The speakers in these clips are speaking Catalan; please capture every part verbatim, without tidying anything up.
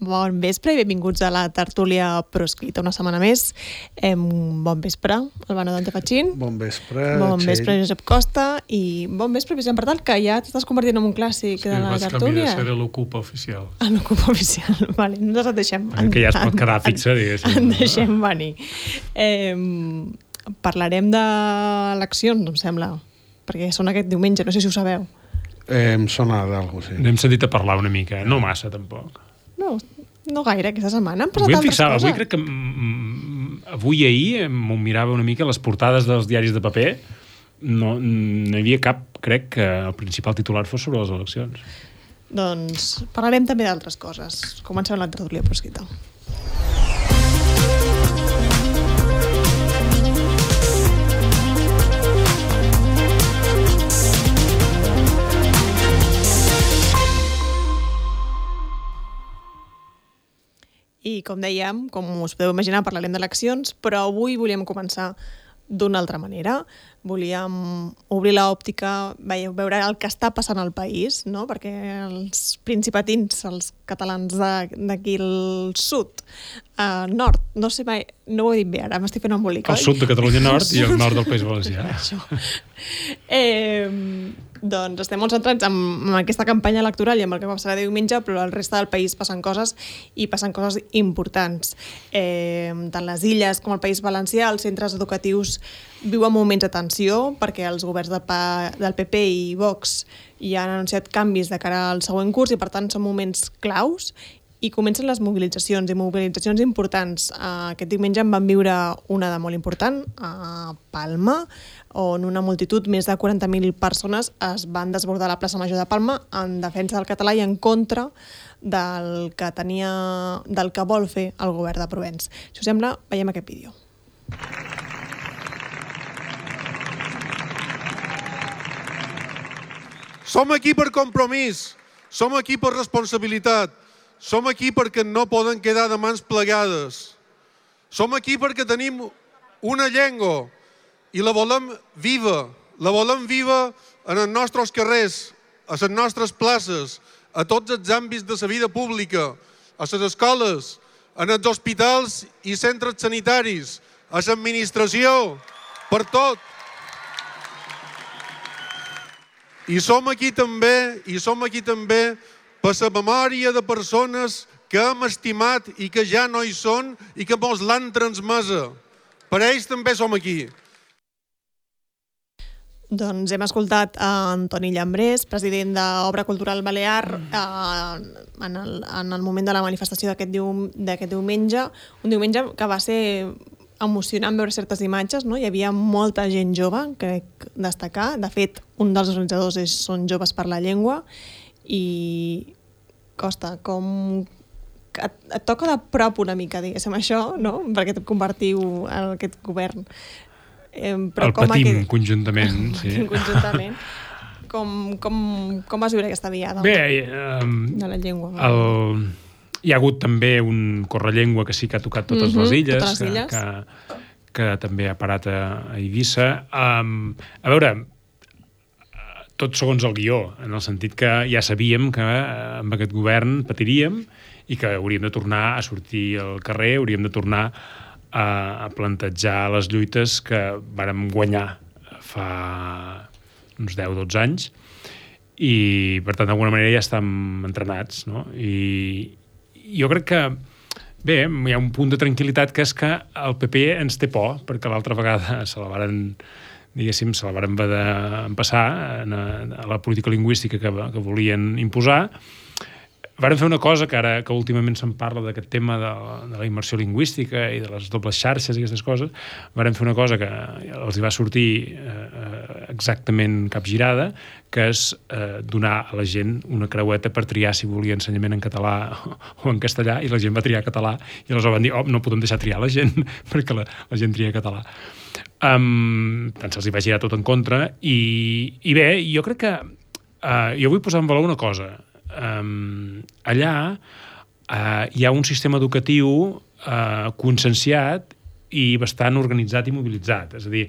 Bon vespre i benvinguts a la tertúlia proscrita una setmana més. Eh, bon vespre, Albano Dante Fachin. Bon vespre, Bon Txell. vespre, Josep Costa. I bon vespre, Vicent Partal, que ja t'estàs convertint en un clàssic sí, de la tertúlia. Sí, vaig tertúlia. canviar de ser l'ocupa oficial. Ah, l'ocupa oficial, vale. Nosaltres et deixem... En, que ja es pot quedar fixa, diguéssim. En deixem venir. Eh, parlarem d'eleccions, em sembla, perquè són aquest diumenge, no sé si ho sabeu. Eh, em sona d'algú, sí. N'hem sentit a parlar una mica, no massa, tampoc. No, no gaire, aquesta setmana. Han passat Avui em altres fixava, coses. avui crec que mm, avui i ahir m'ho mirava una mica les portades dels diaris de paper, no, no hi havia cap, crec que el principal titular fos sobre les eleccions. Doncs parlarem també d'altres coses. Comencem la tertúlia proscrita. I com dèiem, com us podeu imaginar, parlarem d'eleccions, però avui volíem començar d'una altra manera. Volíem obrir l'òptica, veure el que està passant al país, no? Perquè els principatins, els catalans d'aquí al sud, uh, nord, no sé mai, no ho he dit bé ara, m'estic fent embolic, El sud de Catalunya Nord i el nord del País Valencià. Això. Eh, doncs estem molt centrats en, en aquesta campanya electoral i en el que passarà diumenge, però al resta del país passen coses i passen coses importants. Eh, tant les illes com el País Valencià, els centres educatius viuen moments de tensió perquè els governs de pa, del P P i Vox ja han anunciat canvis de cara al següent curs i per tant són moments claus i comencen les mobilitzacions i mobilitzacions importants. Aquest diumenge en van viure una de molt important a Palma, on una multitud, més de quaranta mil persones, es van desbordar a la plaça Major de Palma en defensa del català i en contra del que tenia, del que vol fer el govern de Provenç. Si us sembla, veiem aquest vídeo. Som aquí per compromís, som aquí per responsabilitat, som aquí perquè no poden quedar de mans plegades. Som aquí perquè tenim una llengua i la volem viva, la volem viva en els nostres carrers, a les nostres places, a tots els àmbits de la vida pública, a les escoles, en els hospitals i centres sanitaris, a l'administració, per tot. I som aquí també, i som aquí també per la memòria de persones que hem estimat i que ja no hi són i que mos l'han transmesa. Per ells també som aquí. Doncs hem escoltat a Antoni Llambrés, president d'Obra Cultural Balear, eh, en, el, en el moment de la manifestació d'aquest dium, d'aquest diumenge, un diumenge que va ser emocionant veure certes imatges, no? Hi havia molta gent jove, crec destacar. De fet, un dels organitzadors és Són Joves per la Llengua i Costa, com et, et toca de prop una mica, diguéssim, això, no? Perquè et convertiu en aquest govern. Eh, però el com patim aquest... conjuntament. El Sí. patim conjuntament. Com, com, com vas viure aquesta diada? Bé, um, de la llengua. El... Hi ha hagut també un correllengua que sí que ha tocat totes Mhm, les illes, totes les illes. Que, que, que també ha parat a, a Eivissa. Um, a veure, tot segons el guió, en el sentit que ja sabíem que eh, amb aquest govern patiríem i que hauríem de tornar a sortir al carrer, hauríem de tornar a, a plantejar les lluites que vàrem guanyar fa uns deu dotze anys i, per tant, d'alguna manera ja estem entrenats, no? I jo crec que, bé, hi ha un punt de tranquil·litat que és que el P P ens té por, perquè l'altra vegada se la varen, diguéssim, se la varen haver d'empassar a la política lingüística que, que volien imposar. Varen fer una cosa que ara que últimament se'n parla d'aquest tema de, de la immersió lingüística i de les dobles xarxes i aquestes coses, varen fer una cosa que els hi va sortir eh, exactament capgirada, que és eh, donar a la gent una creueta per triar si volia ensenyament en català o en castellà, i la gent va triar català i aleshores van dir, oh, no podem deixar triar la gent perquè la, la gent tria català. Um, tant se'ls hi va girar tot en contra i, i bé, jo crec que uh, jo vull posar en valor una cosa. Um, allà uh, hi ha un sistema educatiu uh, conscienciat i bastant organitzat i mobilitzat. És a dir,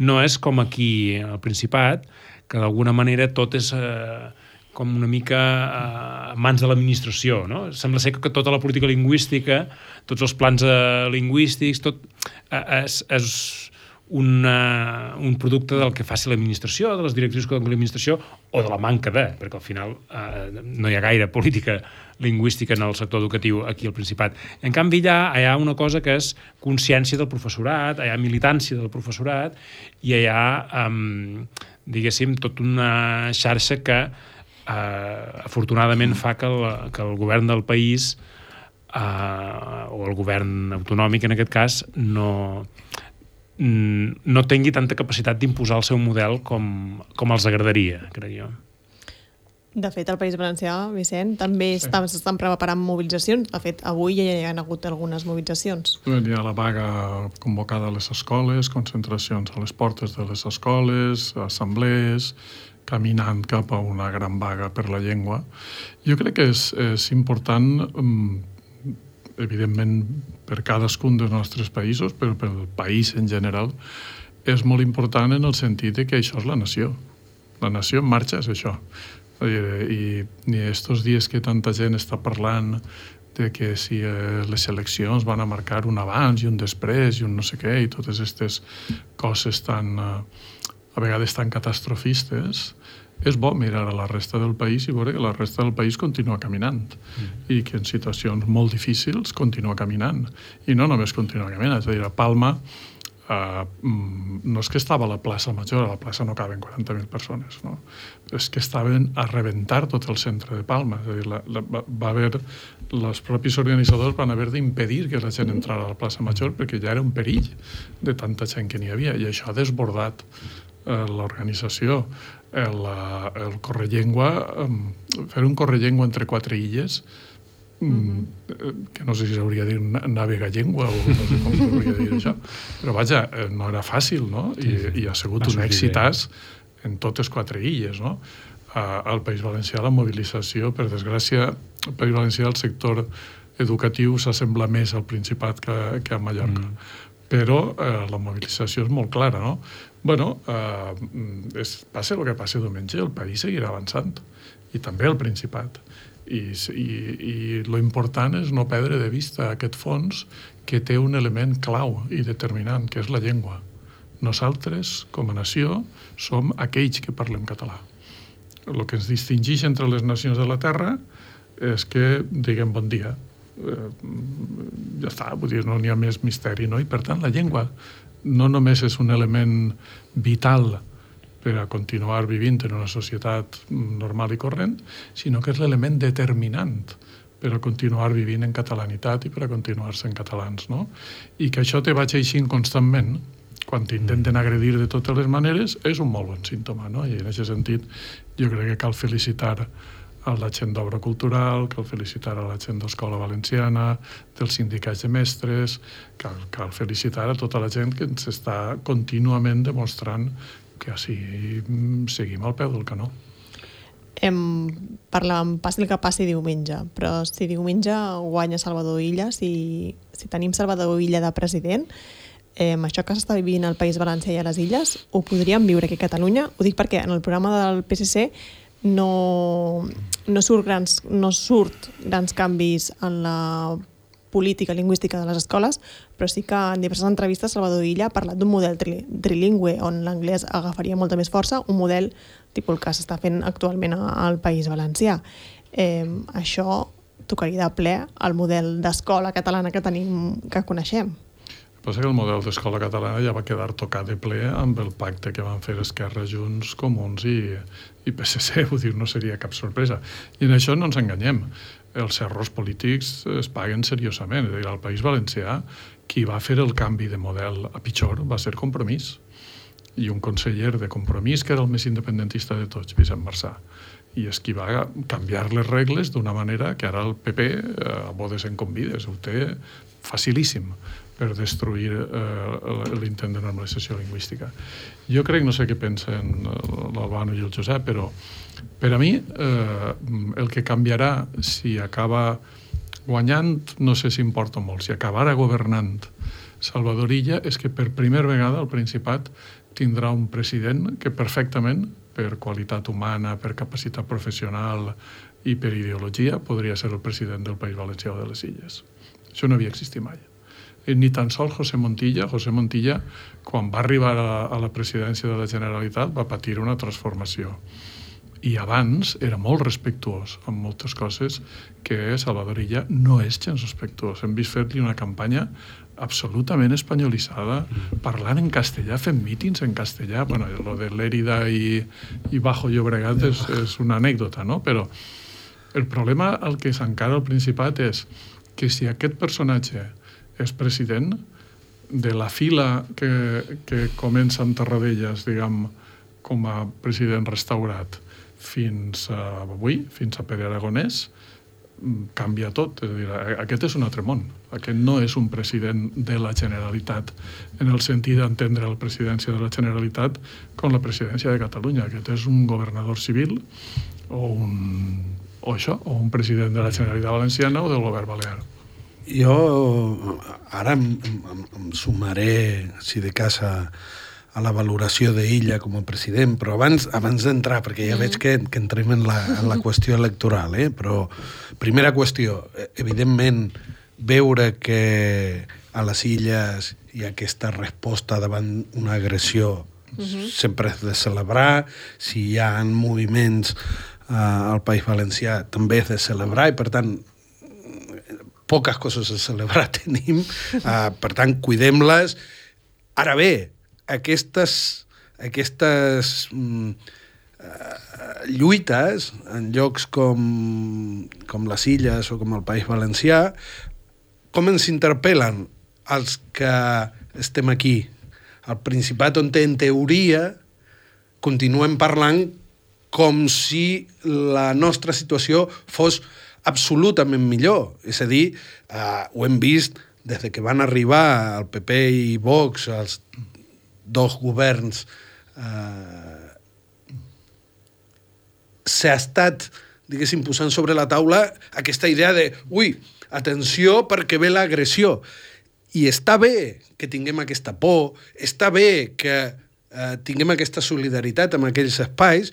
no és com aquí al Principat, que d'alguna manera tot és uh, com una mica a mans de l'administració, no? Sembla ser que tota la política lingüística, tots els plans eh, lingüístics, tot eh, és, és una, un producte del que faci l'administració, de les directrius que doni l'administració, o de la manca de, perquè al final eh, no hi ha gaire política lingüística en el sector educatiu aquí al Principat. En canvi, allà hi ha una cosa que és consciència del professorat, hi ha militància del professorat, i hi ha, um, diguéssim, tota una xarxa que uh, afortunadament fa que el, que el govern del país, uh, o el govern autonòmic en aquest cas, no... no tingui tanta capacitat d'imposar el seu model com, com els agradaria, crec jo. De fet, al País Valencià, Vicent, també sí. s'estan preparant mobilitzacions. De fet, avui ja hi ha hagut algunes mobilitzacions. Hi ha la vaga convocada a les escoles, concentracions a les portes de les escoles, assemblees, caminant cap a una gran vaga per la llengua. Jo crec que és, és important, evidentment, per cadascun dels nostres països, però pel país en general, és molt important en el sentit que això és la nació. La nació en marxa és això. I ni estos dies que tanta gent està parlant de que si les eleccions van a marcar un abans i un després i un no sé què, i totes aquestes coses tan, a vegades tan catastrofistes, és bo mirar a la resta del país i veure que la resta del país continua caminant mm. i que en situacions molt difícils continua caminant. I no només continua caminant, és a dir, a Palma uh, no és que estava a la plaça Major, a la plaça no caben quaranta mil persones, no? És que estaven a rebentar tot el centre de Palma. És a dir, la, la, va haver, els propis organitzadors van haver d'impedir que la gent entrara a la plaça Major perquè ja era un perill de tanta gent que n'hi havia, i això ha desbordat uh, l'organització. El, el correllengua, fer un correllengua entre quatre illes, mm-hmm. que no sé si s'hauria de dir navegallengua o no sé com s'hauria de dir això, però vaja, no era fàcil, no? I, sí, sí. i ha sigut un èxitàs en totes quatre illes, no? Al País Valencià la mobilització, per desgràcia, al País Valencià el sector educatiu s'assembla més al Principat que, que a Mallorca. Mm. Però eh, la mobilització és molt clara, no? Bueno, eh, és, passa el que passa diumenge, el país seguirà avançant, i també el Principat. I, i, i lo important és no perdre de vista aquest fons que té un element clau i determinant, que és la llengua. Nosaltres, com a nació, som aquells que parlem català. El que ens distingeix entre les nacions de la Terra és que diguem bon dia. Eh, ja està, vull dir, no n'hi ha més misteri, no? I per tant la llengua no només és un element vital per a continuar vivint en una societat normal i corrent, sinó que és l'element determinant per a continuar vivint en catalanitat i per a continuar sent catalans, no? I que això te vaig eixint constantment quan t'intenten agredir de totes les maneres és un molt bon símptoma, no? I en aquest sentit jo crec que cal felicitar a la gent d'Obra Cultural, cal felicitar a la gent d'Escola Valenciana, dels sindicats de mestres, cal, cal felicitar a tota la gent que ens està contínuament demostrant que així seguim al peu del canó. Em parlàvem, passi el que passi diumenge, però si diumenge guanya Salvador Illa, si, si tenim Salvador Illa de president, eh, això que s'està vivint al País Valencià i a les Illes, ho podríem viure aquí a Catalunya? Ho dic perquè en el programa del P S C no, no, surt grans, no surt grans canvis en la política lingüística de les escoles, però sí que en diverses entrevistes Salvador Illa ha parlat d'un model tri, trilingüe on l'anglès agafaria molta més força, un model tipus el que s'està fent actualment al País Valencià. Eh, això tocaria de ple al model d'escola catalana que tenim, que coneixem. Passa que el model d'escola catalana ja va quedar tocat de ple amb el pacte que van fer Esquerra, Junts, Comuns i, i P S C, vull dir, no seria cap sorpresa. I en això no ens enganyem. Els errors polítics es paguen seriosament. És a dir, al País Valencià, qui va fer el canvi de model a pitjor va ser Compromís. I un conseller de Compromís, que era el més independentista de tots, Vicent Marçà. I és qui va canviar les regles d'una manera que ara el P P, a bodes en convides, ho té facilíssim per destruir eh, l'intent de normalització lingüística. Jo crec, no sé què pensen l'Albano i el Josep, però per a mi eh, el que canviarà si acaba guanyant, no sé si importa molt, si acabarà governant Salvador Illa, és que per primera vegada el Principat tindrà un president que perfectament per qualitat humana, per capacitat professional i per ideologia, podria ser el president del País Valencià o de les Illes. Això no havia existit mai. Ni tan sols José Montilla. José Montilla, quan va arribar a, a la presidència de la Generalitat, va patir una transformació. I abans era molt respectuós amb moltes coses que Salvador Illa no és gens respectuós. Hem vist fer-li una campanya absolutament espanyolitzada, parlant en castellà, fent mítings en castellà. Bueno, lo de Lérida i, i Bajo Llobregat és, és una anècdota, no? Però el problema al que s'encara al Principat és que si aquest personatge és president, de la fila que, que comença amb Tarradellas, diguem, com a president restaurat, fins a avui, fins a Pere Aragonès, canvia tot. És a dir, aquest és un altre món. Aquest no és un president de la Generalitat, en el sentit d'entendre la presidència de la Generalitat com la presidència de Catalunya. Aquest és un governador civil o un, o això, o un president de la Generalitat Valenciana o del govern balear. Jo ara em, em, em sumaré, si de casa, a la valoració d'Illa com a president, però abans, abans d'entrar, perquè ja mm. veig que, que entrem en la, en la qüestió electoral, eh? Però primera qüestió, evidentment, veure que a les Illes hi ha aquesta resposta davant una agressió mm-hmm. sempre és de celebrar. Si hi ha moviments eh, al País Valencià també és de celebrar, i per tant poques coses a celebrar tenim, uh, per tant, cuidem-les. Ara bé, aquestes, aquestes mm, uh, lluites en llocs com, com les Illes o com el País Valencià, com ens interpel·len els que estem aquí? Al Principat, on en teoria continuem parlant com si la nostra situació fos absolutament millor. És a dir, eh, ho hem vist des que van arribar el P P i Vox, els dos governs, eh, s'ha estat, diguéssim, posant sobre la taula aquesta idea de, ui, atenció perquè ve l'agressió. I està bé que tinguem aquesta por, està bé que eh, tinguem aquesta solidaritat amb aquells espais,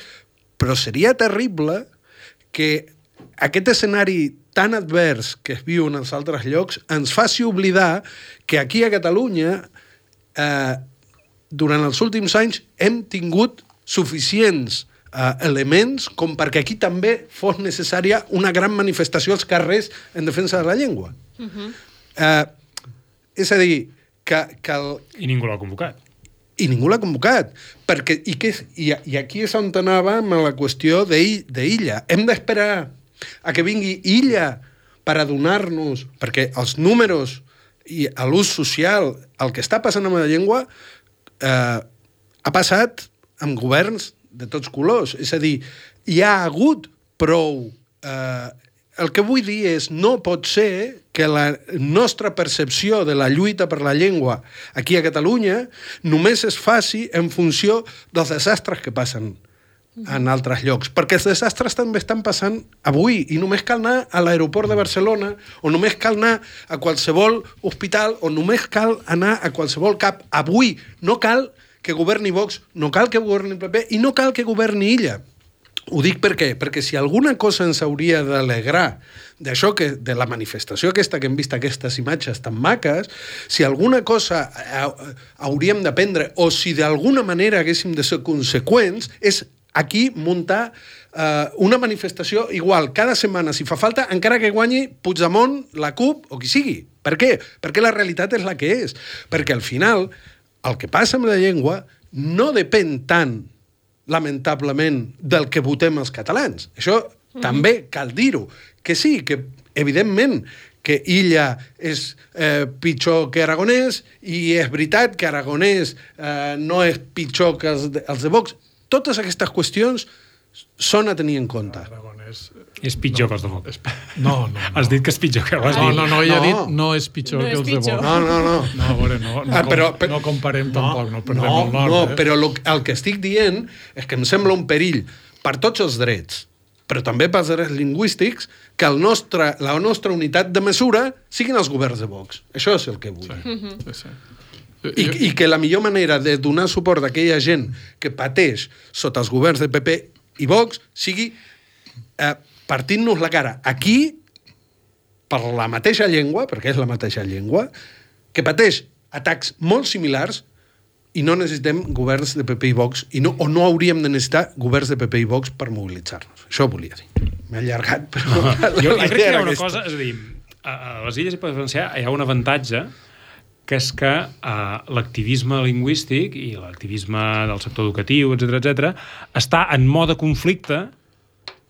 però seria terrible que aquest escenari tan advers que es viu en els altres llocs ens faci oblidar que aquí a Catalunya eh, durant els últims anys hem tingut suficients eh, elements com perquè aquí també fos necessària una gran manifestació als carrers en defensa de la llengua. Uh-huh. eh, és a dir, que, que el... I ningú l'ha convocat. I ningú l'ha convocat. Perquè, i, que, i, I aquí és on anàvem a la qüestió d'Illa. Hem d'esperar a que vingui Illa per adonar-nos, perquè els números i l'ús social, el que està passant amb la llengua, eh, ha passat amb governs de tots colors. És a dir, hi ha hagut prou... Eh, el que vull dir és, no pot ser que la nostra percepció de la lluita per la llengua aquí a Catalunya només es faci en funció dels desastres que passen en altres llocs, perquè els desastres també estan passant avui i només cal anar a l'aeroport de Barcelona o només cal anar a qualsevol hospital o només cal anar a qualsevol cap. Avui no cal que governi Vox, no cal que governi el P P i no cal que governi Illa. Ho dic per què? Perquè si alguna cosa ens hauria d'alegrar d'això, que de la manifestació aquesta que hem vist, aquestes imatges tan maques, si alguna cosa hauríem d'aprendre o si d'alguna manera haguéssim de ser conseqüents, és aquí muntar eh, una manifestació igual cada setmana, si fa falta, encara que guanyi Puigdemont, la CUP o qui sigui. Per què? Perquè la realitat és la que és. Perquè al final el que passa amb la llengua no depèn tant, lamentablement, del que votem els catalans. Això mm. també cal dir-ho. Que sí, que evidentment que Illa és eh, pitjor que Aragonès i és veritat que Aragonès eh, no és pitjor que els de, els de Vox. Totes aquestes qüestions són a tenir en compte. Aragonès... És pitjor no, que els de Vox. No, no, no. Has dit que és pitjor que ho has no, dit. No, no, ella no. ha dit no és pitjor no que és els de pitjor. Vox. No, no, no. No, a veure, no, no, ah, però, com, però, no comparem no, tampoc, no perdem no, el nord. No, eh? però lo, el que estic dient és que em sembla un perill per tots els drets, però també pels drets lingüístics, que el nostre, la nostra unitat de mesura siguin els governs de Vox. Això és el que vull. Sí, sí, sí. I, I que la millor manera de donar suport a aquella gent que pateix sota els governs de P P i Vox sigui eh, partint-nos la cara aquí per la mateixa llengua, perquè és la mateixa llengua, que pateix atacs molt similars i no necessitem governs de P P i Vox, i no, o no hauríem de necessitar governs de P P i Vox per mobilitzar-nos. Això volia dir. M'he allargat, però... Uh -huh. jo, jo crec que hi ha una aquesta. cosa, és a dir, a les Illes i País Valencià hi ha un avantatge, que és que uh, l'activisme lingüístic i l'activisme del sector educatiu, etcètera, etcètera, està en mode conflicte,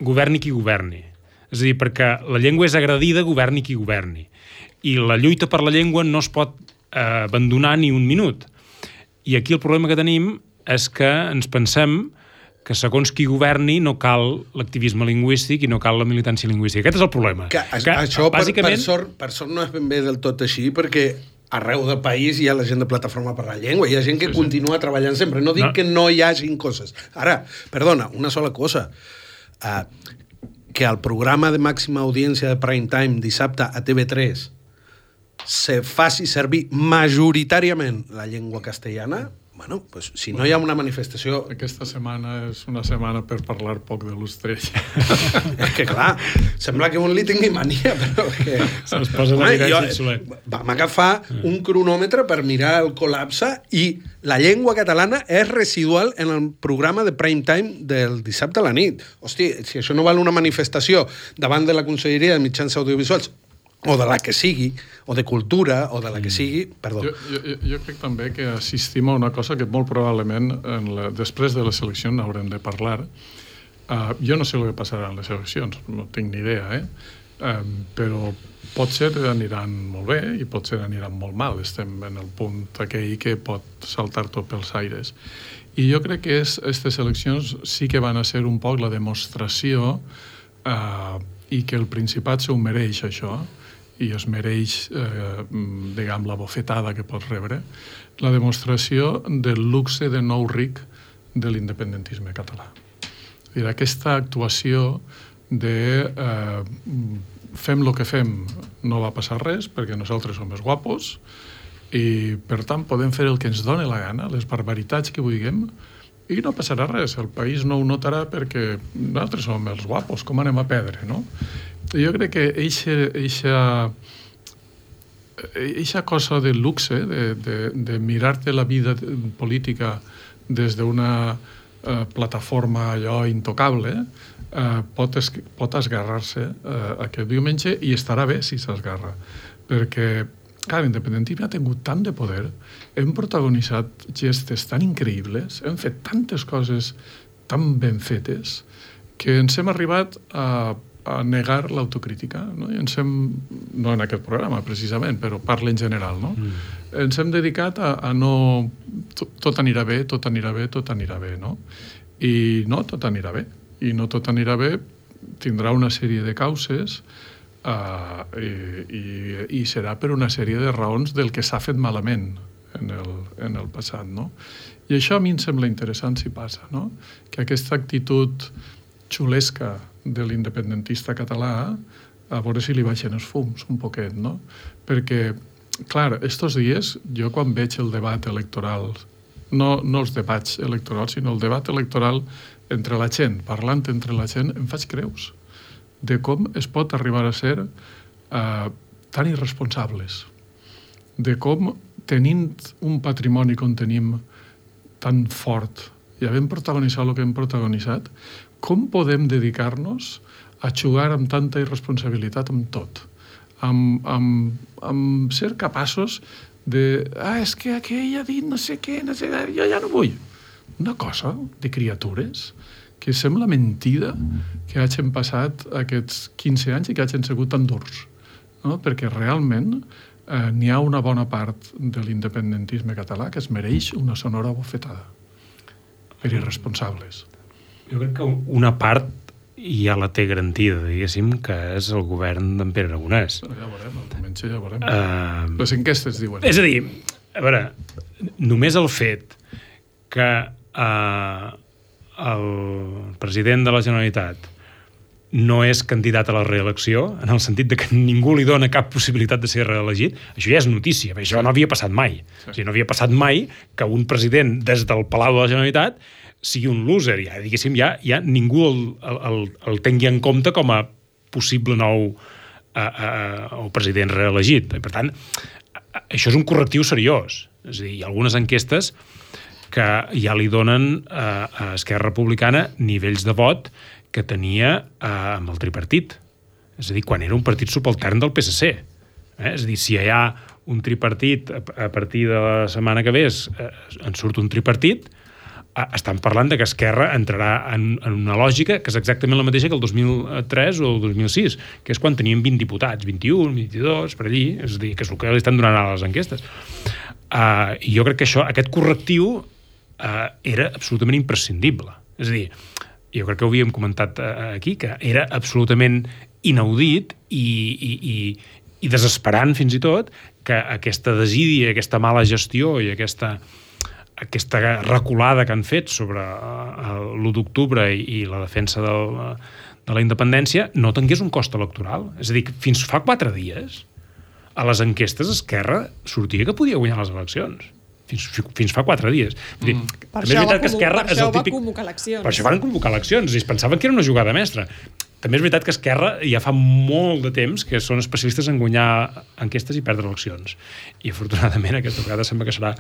governi qui governi. És a dir, perquè la llengua és agredida, governi qui governi. I la lluita per la llengua no es pot uh, abandonar ni un minut. I aquí el problema que tenim és que ens pensem que segons qui governi no cal l'activisme lingüístic i no cal la militància lingüística. Aquest és el problema. Que, que, això, bàsicament... per, per, sort, per sort, no és ben bé del tot així, perquè arreu del país hi ha la gent de Plataforma per la Llengua, hi ha gent que sí, sí. continua treballant sempre. No dic no. que no hi hagin coses. Ara, perdona, una sola cosa. Uh, que el programa de màxima audiència de prime time dissabte a T V tres se faci servir majoritàriament la llengua castellana, bueno, pues, si no hi ha una manifestació... Aquesta setmana és una setmana per parlar poc de l'Ostrell. És que, clar, sembla que un li tingui mania, però que... Se'ns posa de mirar i xulet. Vam agafar un cronòmetre per mirar el col·lapse i la llengua catalana és residual en el programa de prime time del dissabte a la nit. Hosti, si això no val una manifestació davant de la Conselleria de Mitjans Audiovisuals, o de la que sigui, o de cultura, o de la que sigui... Perdó. Jo, jo, jo crec també que assistim a una cosa que molt probablement en la, després de les eleccions haurem de parlar. Uh, jo no sé el que passarà en les eleccions, no tinc ni idea, eh? Uh, però potser aniran molt bé i potser aniran molt mal. Estem en el punt aquell que pot saltar tot pels aires. I jo crec que aquestes eleccions sí que van a ser un poc la demostració uh, i que el Principat s'ho mereix, això, i es mereix, eh, diguem, la bofetada que pot rebre, la demostració del luxe de nou ric de l'independentisme català. És dir, aquesta actuació de eh, fem el que fem, no va passar res, perquè nosaltres som més guapos, i, per tant, podem fer el que ens doni la gana, les barbaritats que vulguem, i no passarà res. El país no ho notarà perquè nosaltres som els guapos, com anem a perdre, no? Jo crec que eixa, eixa, eixa cosa de luxe, de, de, de mirar-te la vida política des d'una eh, plataforma allò intocable, eh, pot, es, pot esgarrar-se eh, aquest diumenge i estarà bé si s'esgarra. Perquè, clar, l'independentisme ha tingut tant de poder, hem protagonitzat gestes tan increïbles, hem fet tantes coses tan ben fetes, que ens hem arribat a a negar l'autocrítica, no? I ens hem, no en aquest programa precisament, però parla en general, no? Mm. Ens hem dedicat a, a no... Tot, tot anirà bé, tot anirà bé, tot anirà bé, no? I no, tot anirà bé. I no tot anirà bé, tindrà una sèrie de causes uh, i, i, i serà per una sèrie de raons del que s'ha fet malament en el, en el passat, no? I això a mi em sembla interessant si passa, no? Que aquesta actitud xulesca de l'independentista català, a veure si li baixen els fums un poquet, no? Perquè, clar, estos dies, jo quan veig el debat electoral, no, no els debats electorals, sinó el debat electoral entre la gent, parlant entre la gent, em faig creus de com es pot arribar a ser eh, tan irresponsables, de com, tenint un patrimoni com tenim tan fort i havent protagonitzat el que hem protagonitzat, com podem dedicar-nos a jugar amb tanta irresponsabilitat amb tot? Amb, amb, amb ser capaços de... Ah, és que aquell ha dit no sé què, no sé què, jo ja no vull. Una cosa de criatures que sembla mentida que hagin passat aquests quinze anys i que hagin sigut tan durs. No? Perquè realment eh, n'hi ha una bona part de l'independentisme català que es mereix una sonora bofetada per irresponsables. Jo crec que una part ja la té garantida, diguéssim, que és el govern d'en Pere Aragonès. Ja veurem, el diumenge ja veurem. Uh, Les enquestes diuen. És a dir, a veure, només el fet que uh, el president de la Generalitat no és candidat a la reelecció, en el sentit de que ningú li dona cap possibilitat de ser reelegit, això ja és notícia, això no havia passat mai. Sí. O sigui, no havia passat mai que un president des del Palau de la Generalitat sigui un loser, ja, diguéssim, ja, ja ningú el, el, el tingui en compte com a possible nou a, a, a, president reelegit. Per tant, això és un correctiu seriós. És a dir, hi ha algunes enquestes que ja li donen a, a Esquerra Republicana nivells de vot que tenia a, amb el tripartit. És a dir, quan era un partit subaltern del P S C. Eh? És a dir, si hi ha un tripartit, a, a partir de la setmana que ve eh, en surt un tripartit, estan parlant de que Esquerra entrarà en, en una lògica que és exactament la mateixa que el dos mil tres o el dos mil sis, que és quan teníem vint diputats, vint-i-un, vint-i-dos, per allí, és a dir, que és el que li estan donant a les enquestes. Uh, I jo crec que això, aquest correctiu uh, era absolutament imprescindible. És a dir, jo crec que ho havíem comentat uh, aquí, que era absolutament inaudit i, i, i, i desesperant fins i tot que aquesta desídia, aquesta mala gestió i aquesta aquesta reculada que han fet sobre l'u d'octubre i, i la defensa del, de la independència no tingués un cost electoral. És a dir, fins fa quatre dies a les enquestes Esquerra sortia que podia guanyar les eleccions. Fins, fins fa quatre dies. Mm. Dir, per això, va, que Esquerra per això és el típic... va convocar eleccions. Per això van convocar eleccions. Es pensaven que era una jugada mestra. També és veritat que Esquerra ja fa molt de temps que són especialistes en guanyar enquestes i perdre eleccions. I afortunadament aquesta vegada sembla que serà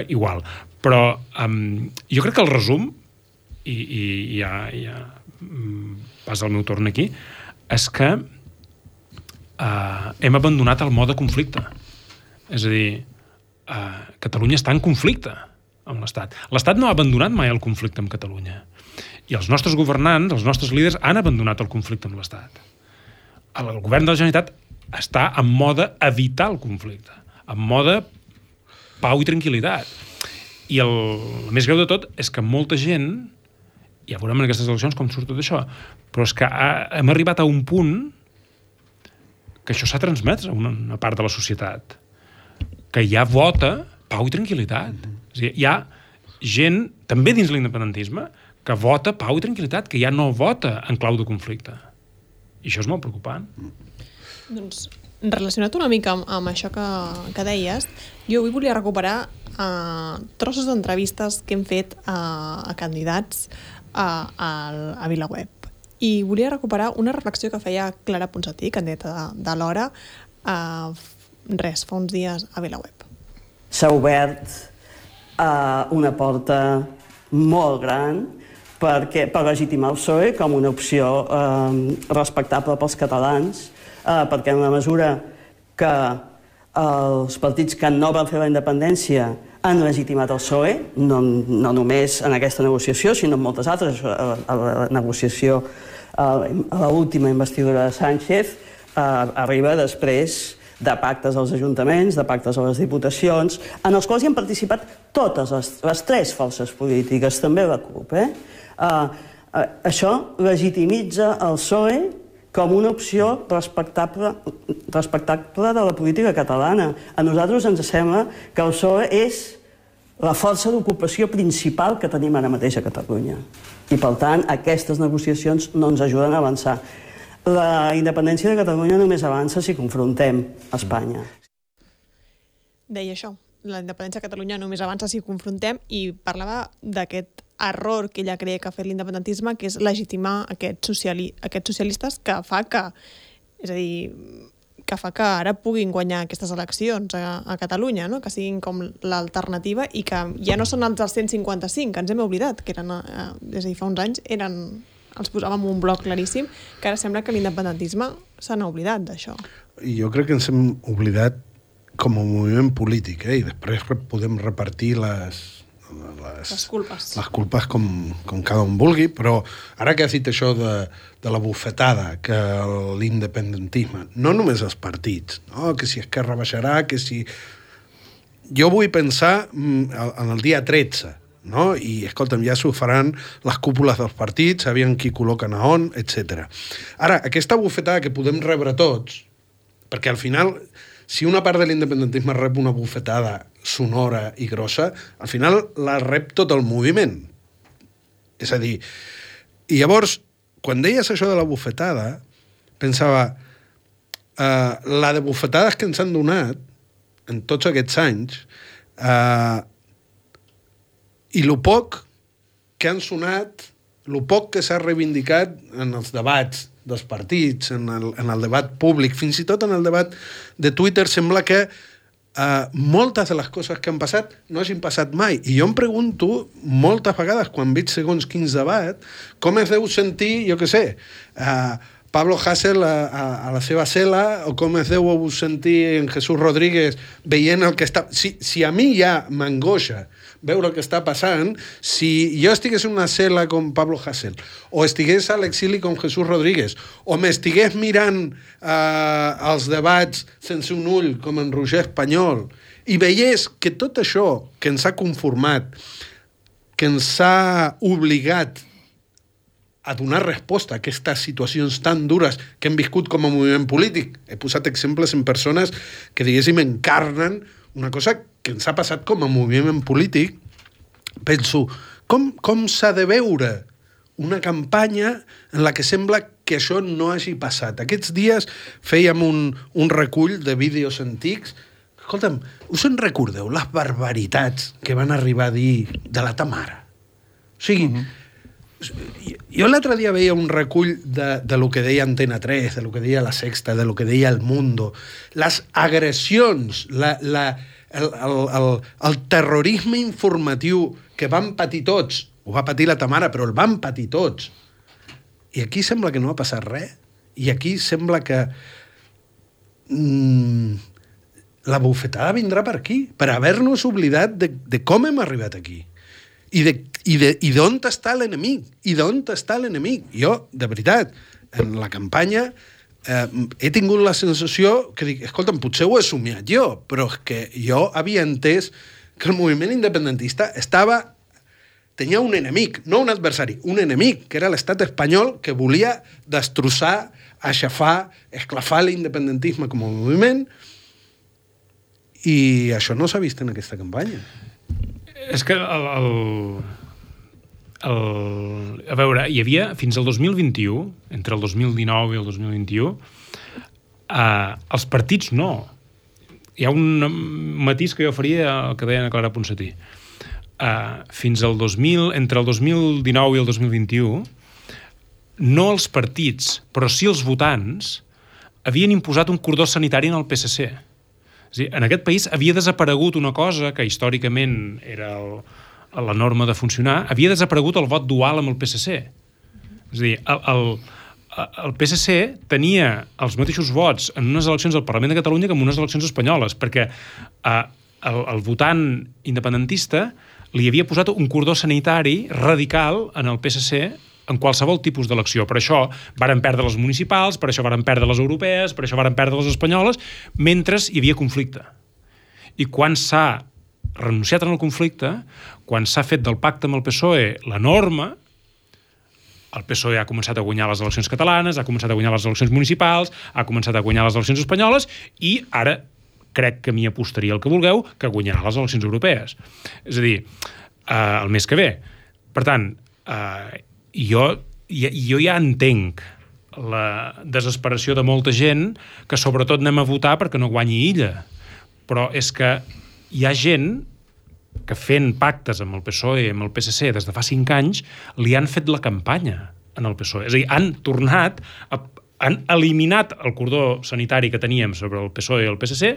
igual. Però um, jo crec que el resum, i, i ja, ja passa el meu torn aquí, és que uh, hem abandonat el mode conflicte. És a dir, uh, Catalunya està en conflicte amb l'Estat. L'Estat no ha abandonat mai el conflicte amb Catalunya. I els nostres governants, els nostres líders, han abandonat el conflicte amb l'Estat. El govern de la Generalitat està en mode evitar el conflicte, en mode pau i tranquil·litat. I el, el més greu de tot és que molta gent, ja veurem en aquestes eleccions com surt tot això, però és que ha, hem arribat a un punt que això s'ha transmès a una, una part de la societat, que ja vota pau i tranquil·litat. És a dir, hi ha gent, també dins l'independentisme, que vota pau i tranquil·litat, que ja no vota en clau de conflicte. I això és molt preocupant. Doncs, relacionat una mica amb, amb això que, que deies, jo avui volia recuperar uh, trossos d'entrevistes que hem fet uh, a candidats uh, a, a VilaWeb. I volia recuperar una reflexió que feia Clara Ponsatí, candidata de, de l'Hora, uh, res, fa uns dies a VilaWeb. S'ha obert uh, una porta molt gran perquè, per legitimar el P S O E com una opció eh, respectable pels catalans, eh, perquè en la mesura que els partits que no van fer la independència han legitimat el P S O E, no, no només en aquesta negociació, sinó en moltes altres, a, a la negociació, a l'última investidura de Sánchez, eh, arriba després de pactes als ajuntaments, de pactes a les diputacions, en els quals hi han participat totes les, les tres forces polítiques, també la CUP. Eh? Uh, uh, això legitimitza el P S O E com una opció respectable, respectable de la política catalana. A nosaltres ens sembla que el P S O E és la força d'ocupació principal que tenim ara mateix a Catalunya. I, per tant, aquestes negociacions no ens ajuden a avançar. La independència de Catalunya només avança si confrontem Espanya. Deia això, la independència de Catalunya només avança si confrontem, i parlava d'aquest error que ella creia que ha fet l'independentisme, que és legitimar aquests, sociali aquests socialistes que fa que, és a dir, que fa que ara puguin guanyar aquestes eleccions a, a Catalunya, no? Que siguin com l'alternativa i que ja no són els del cent cinquanta-cinc, que ens hem oblidat, que eren, eh, és a dir, fa uns anys eren... els posàvem un bloc claríssim, que ara sembla que l'independentisme se n'ha oblidat d'això. I jo crec que ens hem oblidat com a moviment polític, eh? I després podem repartir les, les, les culpes, les culpes com, com cada un vulgui, però ara que has dit això de, de la bufetada que l'independentisme, no només els partits, no? Que si Esquerra baixarà, que si... Jo vull pensar en el dia tretze, no? I, escolta'm, ja s'ho faran les cúpules dels partits, sabien qui col·loquen a on, etcètera. Ara, aquesta bufetada que podem rebre tots, perquè al final, si una part de l'independentisme rep una bufetada sonora i grossa, al final la rep tot el moviment. És a dir, i llavors, quan deies això de la bufetada, pensava, uh, la de bufetades que ens han donat en tots aquests anys, uh, i lo poc que han sonat, lo poc que s'ha reivindicat en els debats dels partits, en el, en el debat públic, fins i tot en el debat de Twitter, sembla que Uh, moltes de les coses que han passat no hagin passat mai. I jo em pregunto moltes vegades, quan veig segons quins debat, com es deu sentir, jo què sé, uh, Pablo Hasél a, a, a la seva cel·la, o com es deu sentir en Jesús Rodríguez veient el que està... Si, si a mi ja m'angoixa veure el que està passant, si jo estigués en una cel·la com Pablo Hasél, o estigués a l'exili com Jesús Rodríguez, o m'estigués mirant eh, els debats sense un ull com en Roger Espanyol, i veiés que tot això que ens ha conformat, que ens ha obligat a donar resposta a aquestes situacions tan dures que hem viscut com a moviment polític. He posat exemples en persones que, diguéssim, encarnen una cosa que ens ha passat com a moviment polític. Penso, com, com s'ha de veure una campanya en la que sembla que això no hagi passat? Aquests dies fèiem un, un recull de vídeos antics. Escolta'm, us en recordeu les barbaritats que van arribar a dir de la Tamara? O sigui, uh-huh. jo l'altre dia veia un recull de, de lo que deia Antena tres, de lo que deia La Sexta, de lo que deia El Mundo, les agressions, la, la, el, el, el, el terrorisme informatiu que van patir tots. Ho va patir la Tamara, però el van patir tots. I aquí sembla que no ha passat res. I aquí sembla que mm, la bufetada vindrà per aquí, per haver-nos oblidat de, de com hem arribat aquí. I de, i de, i d'on està l'enemic? I d'on està l'enemic? Jo, de veritat, en la campanya eh, he tingut la sensació que dic, escolta'm, potser ho he somiat jo, però és que jo havia entès que el moviment independentista estava tenia un enemic, no un adversari, un enemic, que era l'estat espanyol que volia destrossar, aixafar, esclafar l'independentisme com a moviment, i això no s'ha vist en aquesta campanya. És que el, el, el, a veure, hi havia fins al dos mil vint-i-u, entre el dos mil dinou i el dos mil vint-i-u, eh, els partits no. Hi ha un matís que jo faria el que deia Clara Ponsatí. Uh, fins al dos mil, entre el dos mil dinou i el dos mil vint-i-u, no els partits, però sí els votants, havien imposat un cordó sanitari en el P S C. És a dir, en aquest país havia desaparegut una cosa que històricament era el, la norma de funcionar, havia desaparegut el vot dual amb el P S C. És a dir, el, el, el P S C tenia els mateixos vots en unes eleccions al Parlament de Catalunya que en unes eleccions espanyoles, perquè uh, el, el votant independentista li havia posat un cordó sanitari radical en el P S C en qualsevol tipus d'elecció. Per això varen perdre les municipals, per això varen perdre les europees, per això varen perdre les espanyoles, mentre hi havia conflicte. I quan s'ha renunciat en el conflicte, quan s'ha fet del pacte amb el P S O E la norma, el P S O E ha començat a guanyar les eleccions catalanes, ha començat a guanyar les eleccions municipals, ha començat a guanyar les eleccions espanyoles, i ara crec que m'hi apostaria el que vulgueu, que guanyarà les eleccions europees. És a dir, eh, el mes que ve. Per tant, eh, jo, jo ja entenc la desesperació de molta gent que sobretot anem a votar perquè no guanyi Illa. Però és que hi ha gent que fent pactes amb el P S O E i amb el P S C des de fa cinc anys li han fet la campanya en el P S O E. És a dir, han tornat a han eliminat el cordó sanitari que teníem sobre el P S O E i el P S C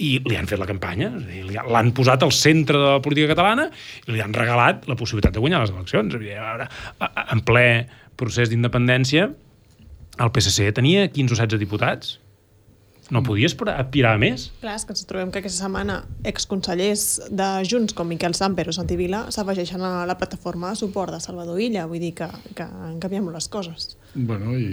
i li han fet la campanya, és a dir, l'han posat al centre de la política catalana i li han regalat la possibilitat de guanyar les eleccions. En ple procés d'independència, el P S C tenia quinze o setze diputats. No podies aspirar a més? Clar, és que ens trobem que aquesta setmana exconsellers de Junts com Miquel Samper o Santi Vila s'afegeixen a la plataforma de suport de Salvador Illa. Vull dir que, que han canviat molt les coses. Bueno, i,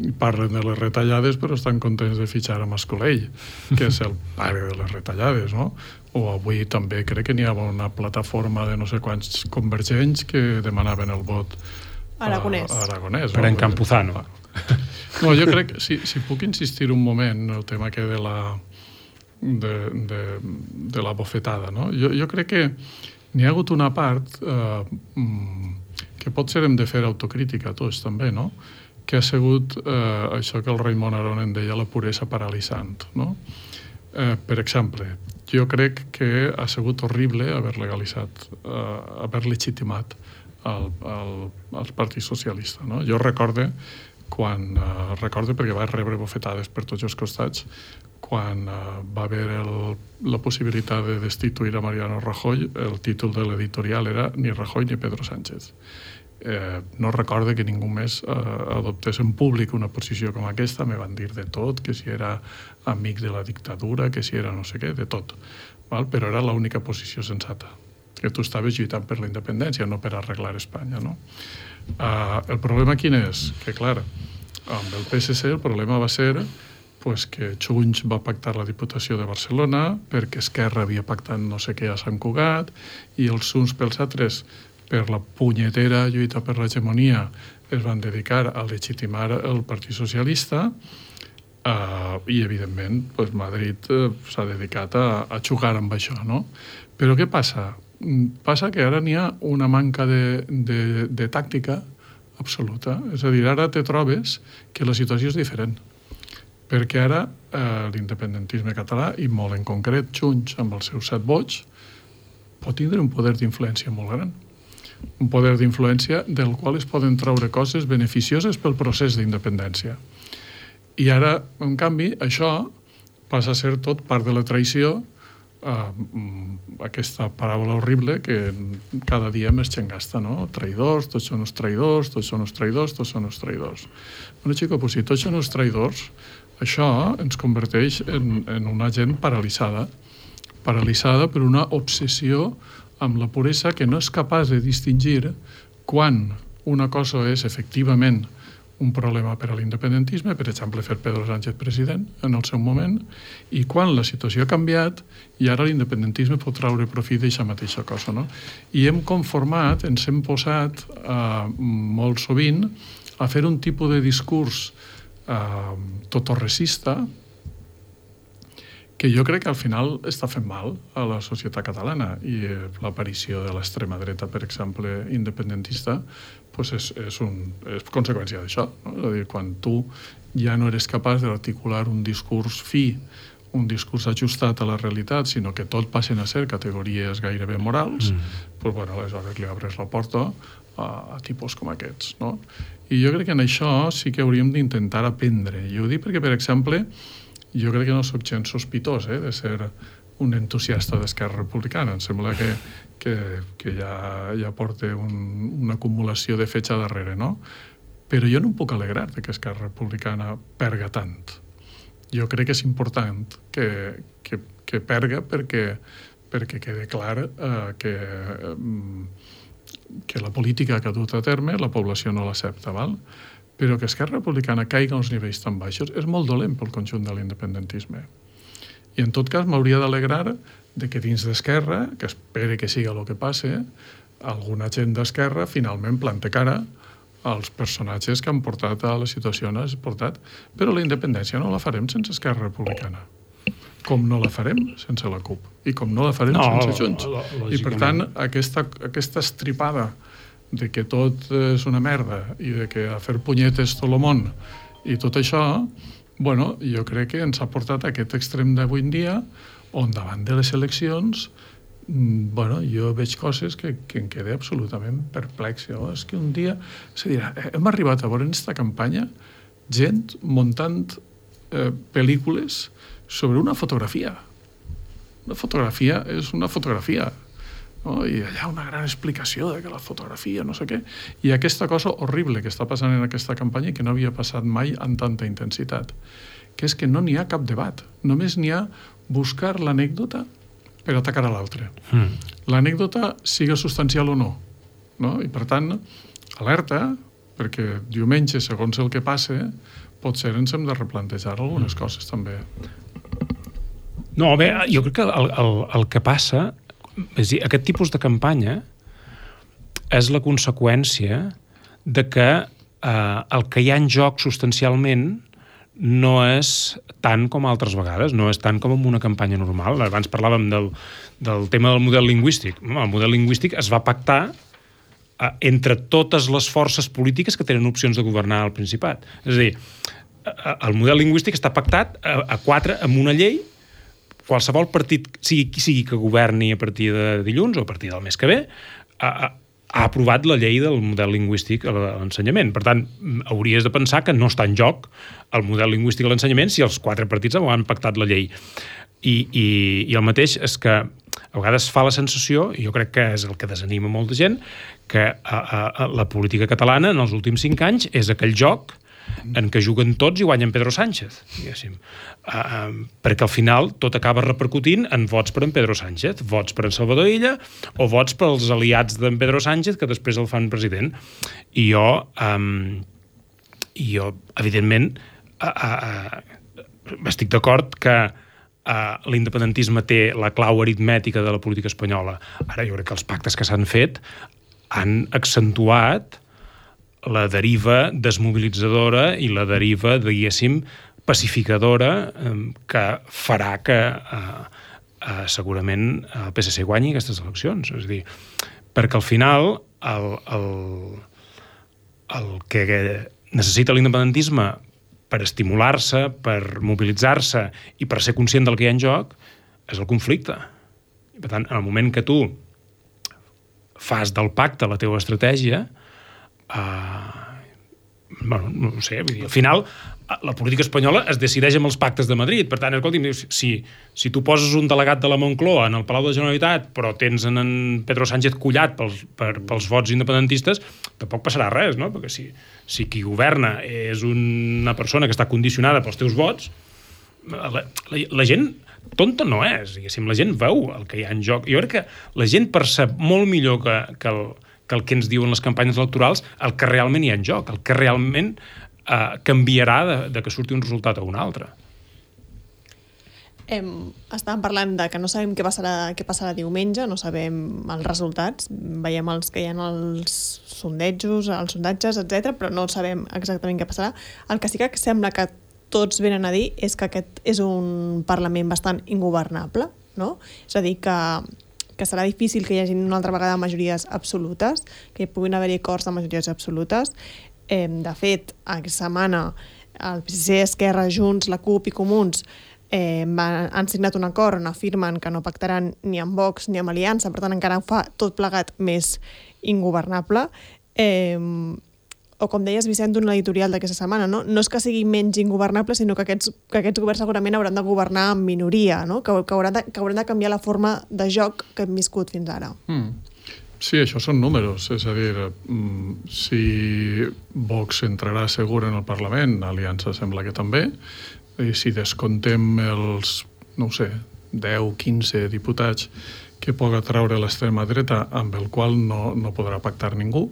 i parlen de les retallades, però estan contents de fitxar a Mascolell, que és el pare de les retallades, no? O avui també crec que n'hi havia una plataforma de no sé quants convergents que demanaven el vot Aragonès. A, a Aragonès. Per no? en Campuzano. No, jo crec que si, si puc insistir un moment en el tema que de la de, de, de la bofetada, no? Jo, jo crec que n'hi ha hagut una part eh, que potser hem de fer autocrítica tots també, no? Que ha sigut eh, això que el Raimon Aron en deia la puresa paralitzant, no? Eh, per exemple, jo crec que ha sigut horrible haver legalitzat, eh, haver legitimat el, el, el Partit Socialista, no? Jo recorde quan, eh, recorde perquè vaig rebre bofetades per tots els costats, quan eh, va haver el, la possibilitat de destituir a Mariano Rajoy, el títol de l'editorial era ni Rajoy ni Pedro Sánchez. Eh, no recorde que ningú més eh, adoptés en públic una posició com aquesta. Me van dir de tot, que si era amic de la dictadura, que si era no sé què, de tot. Val? Però era l'única posició sensata, que tu estaves lluitant per la independència, no per arreglar Espanya, no? Eh, el problema quin és? Que, clar, amb el P S C el problema va ser pues, que Junts va pactar la Diputació de Barcelona, perquè Esquerra havia pactat no sé què a Sant Cugat, i els uns pels altres, per la punyetera lluita per l'hegemonia, es van dedicar a legitimar el Partit Socialista, uh, i, evidentment, pues, Madrid uh, s'ha dedicat a, a jugar amb això, no? Però què passa? Passa que ara n'hi ha una manca de, de, de tàctica absoluta. És a dir, ara te trobes que la situació és diferent. Perquè ara eh, l'independentisme català, i molt en concret Junts amb els seus set vots, pot tindre un poder d'influència molt gran. Un poder d'influència del qual es poden treure coses beneficioses pel procés d'independència. I ara, en canvi, això passa a ser tot part de la traïció, eh, aquesta paraula horrible que cada dia més xengasta, no? Traïdors, tots són uns traïdors, tots són uns traïdors, tots són uns traïdors. Bueno, xico, pues, si tots són uns traïdors, això ens converteix en, en una gent paralitzada, paralitzada per una obsessió amb la puresa que no és capaç de distingir quan una cosa és efectivament un problema per a l'independentisme, per exemple, fer Pedro Sánchez president en el seu moment, i quan la situació ha canviat i ara l'independentisme pot traure profit d'aquesta mateixa cosa, no? I hem conformat, ens hem posat eh, molt sovint a fer un tipus de discurs eh, totorrecista que jo crec que al final està fent mal a la societat catalana, i l'aparició de l'extrema dreta, per exemple, independentista, pues és, és, un, és conseqüència d'això, no? És a dir, quan tu ja no eres capaç d'articular un discurs fi, un discurs ajustat a la realitat, sinó que tot passen a ser categories gairebé morals, mm. pues, bueno, aleshores li obres la porta a, a tipus com aquests, no? I jo crec que en això sí que hauríem d'intentar aprendre. Jo ho dic perquè, per exemple, jo crec que no soc gens sospitós eh, de ser un entusiasta d'Esquerra Republicana. Em sembla que, que, que ja, ja porta un, una acumulació de fetge darrere, no? Però jo no em puc alegrar de que Esquerra Republicana perga tant. Jo crec que és important que, que, que perga perquè, perquè quede clar eh, que, eh, que la política que ha dut a terme la població no l'accepta, val? Però que Esquerra Republicana caiga a uns nivells tan baixos és molt dolent pel conjunt de l'independentisme. I en tot cas m'hauria d'alegrar de que dins d'Esquerra, que espere que siga el que passe, alguna gent d'Esquerra finalment plante cara als personatges que han portat a la situació on has portat. Però la independència no la farem sense Esquerra Republicana. Com no la farem sense la CUP. I com no la farem no, sense Junts. I per tant, aquesta, aquesta estripada de que tot és una merda i de que a fer punyetes tot el món i tot això, bueno, jo crec que ens ha portat a aquest extrem d'avui en dia on davant de les eleccions, bueno, jo veig coses que, que em quedé absolutament perplex. Oh, és que un dia... És a dir, hem arribat a veure en aquesta campanya gent muntant eh, pel·lícules sobre una fotografia. Una fotografia és una fotografia. No? I allà una gran explicació de que la fotografia, no sé què. I aquesta cosa horrible que està passant en aquesta campanya i que no havia passat mai amb tanta intensitat, que és que no n'hi ha cap debat. Només n'hi ha buscar l'anècdota per atacar a l'altre. Mm. L'anècdota siga substancial o no. No? I per tant, alerta, perquè diumenge, segons el que passe, potser ens hem de replantejar algunes mm. coses també. No, bé, jo crec que el, el, el que passa... És dir, aquest tipus de campanya és la conseqüència de que eh, el que hi ha en joc substancialment no és tant com altres vegades, no és tant com en una campanya normal. Abans parlàvem del, del tema del model lingüístic. El model lingüístic es va pactar entre totes les forces polítiques que tenen opcions de governar el Principat. És a dir, el model lingüístic està pactat a quatre amb una llei. Qualsevol partit, sigui qui sigui que governi a partir de dilluns o a partir del mes que ve, ha, ha aprovat la llei del model lingüístic a l'ensenyament. Per tant, hauries de pensar que no està en joc el model lingüístic a l'ensenyament si els quatre partits han pactat la llei. I, i, i el mateix és que a vegades fa la sensació, i jo crec que és el que desanima molta gent, que a, a, la política catalana en els últims cinc anys és aquell joc en què juguen tots i guanyen Pedro Sánchez, diguéssim. Uh, uh, perquè al final tot acaba repercutint en vots per en Pedro Sánchez, vots per en Salvador Illa o vots pels aliats d'en Pedro Sánchez que després el fan president. I jo, um, i jo evidentment, uh, uh, estic d'acord que Uh, l'independentisme té la clau aritmètica de la política espanyola. Ara jo crec que els pactes que s'han fet han accentuat la deriva desmobilitzadora i la deriva, diguéssim, pacificadora um, que farà que uh, uh, segurament el P S C guanyi aquestes eleccions. És a dir, perquè al final el, el, el que necessita l'independentisme per estimular-se, per mobilitzar-se i per ser conscient del que hi ha en joc, és el conflicte. I, per tant, en el moment que tu fas del pacte la teva estratègia, eh, bueno, no ho sé, vull dir, al final la política espanyola es decideix amb els pactes de Madrid. Per tant, escolti'm, si, si tu poses un delegat de la Moncloa en el Palau de la Generalitat, però tens en, en Pedro Sánchez collat pels, per, pels vots independentistes, tampoc passarà res, no? Perquè si, si qui governa és una persona que està condicionada pels teus vots, la, la, la gent tonta no és, diguéssim, la gent veu el que hi ha en joc. Jo crec que la gent percep molt millor que, que, el, que el que ens diuen les campanyes electorals el que realment hi ha en joc, el que realment Uh, canviarà de, de que surti un resultat a un altre. Em, estàvem parlant de que no sabem què passarà, què passarà diumenge, no sabem els resultats, veiem els que hi ha els sondejos, els sondatges, etcètera, però no sabem exactament què passarà. El que sí que sembla que tots venen a dir és que aquest és un Parlament bastant ingovernable, no? És a dir, que, que serà difícil que hi hagi una altra vegada majories absolutes, que hi puguin haver acords de majories absolutes. Eh, de fet, aquesta setmana el P S C, Esquerra, Junts, la CUP i Comuns eh, van, han signat un acord on afirmen que no pactaran ni amb Vox ni amb Aliança, per tant encara fa tot plegat més ingovernable. Eh, o com deies, Vicent, un editorial d'aquesta setmana, no? No és que sigui menys ingovernable, sinó que aquests, que aquests governs segurament hauran de governar en minoria, no? que, que, hauran de, que hauran de canviar la forma de joc que hem viscut fins ara. Mm. Sí, això són números, és a dir, si Vox entrarà segur en el Parlament, Aliança sembla que també, i si descontem els, no ho sé, deu, quinze diputats que puga treure l'extrema dreta amb el qual no, no podrà pactar ningú,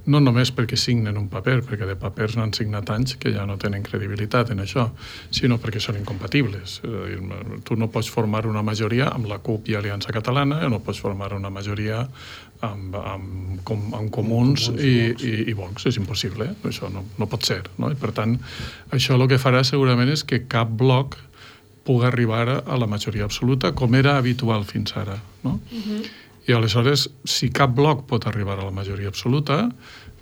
no només perquè signen un paper, perquè de papers n'han signat anys que ja no tenen credibilitat en això, sinó perquè són incompatibles. És a dir, tu no pots formar una majoria amb la CUP i Aliança Catalana, no pots formar una majoria amb, amb, com, amb Comuns i, i, i Vox. És impossible, eh? Això no, no pot ser. No? I per tant, això el que farà segurament és que cap bloc pugui arribar a la majoria absoluta, com era habitual fins ara. No? Uh-huh. I aleshores, si cap bloc pot arribar a la majoria absoluta,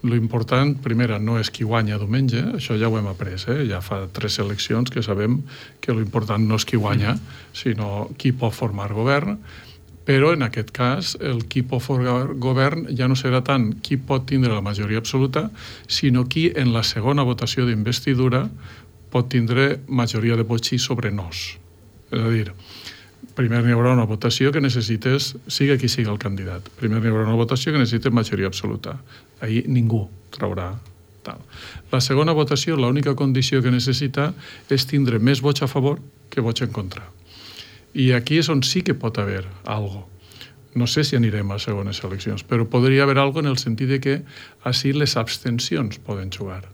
l'important, primera, no és qui guanya diumenge, això ja ho hem après, eh? Ja fa tres eleccions que sabem que l'important no és qui guanya, sinó qui pot formar govern, però en aquest cas el qui pot formar govern ja no serà tant qui pot tindre la majoria absoluta, sinó qui en la segona votació d'investidura pot tindre majoria de vots sí sobre nos. És a dir, primer n'hi haurà una votació que necessites, siga qui siga el candidat, primer n'hi haurà una votació que necessites majoria absoluta. Ahir ningú traurà tal. La segona votació, l'única condició que necessita és tindre més vots a favor que vots en contra. I aquí és on sí que pot haver algo. No sé si anirem a segones eleccions, però podria haver algo en el sentit de que així les abstencions poden jugar.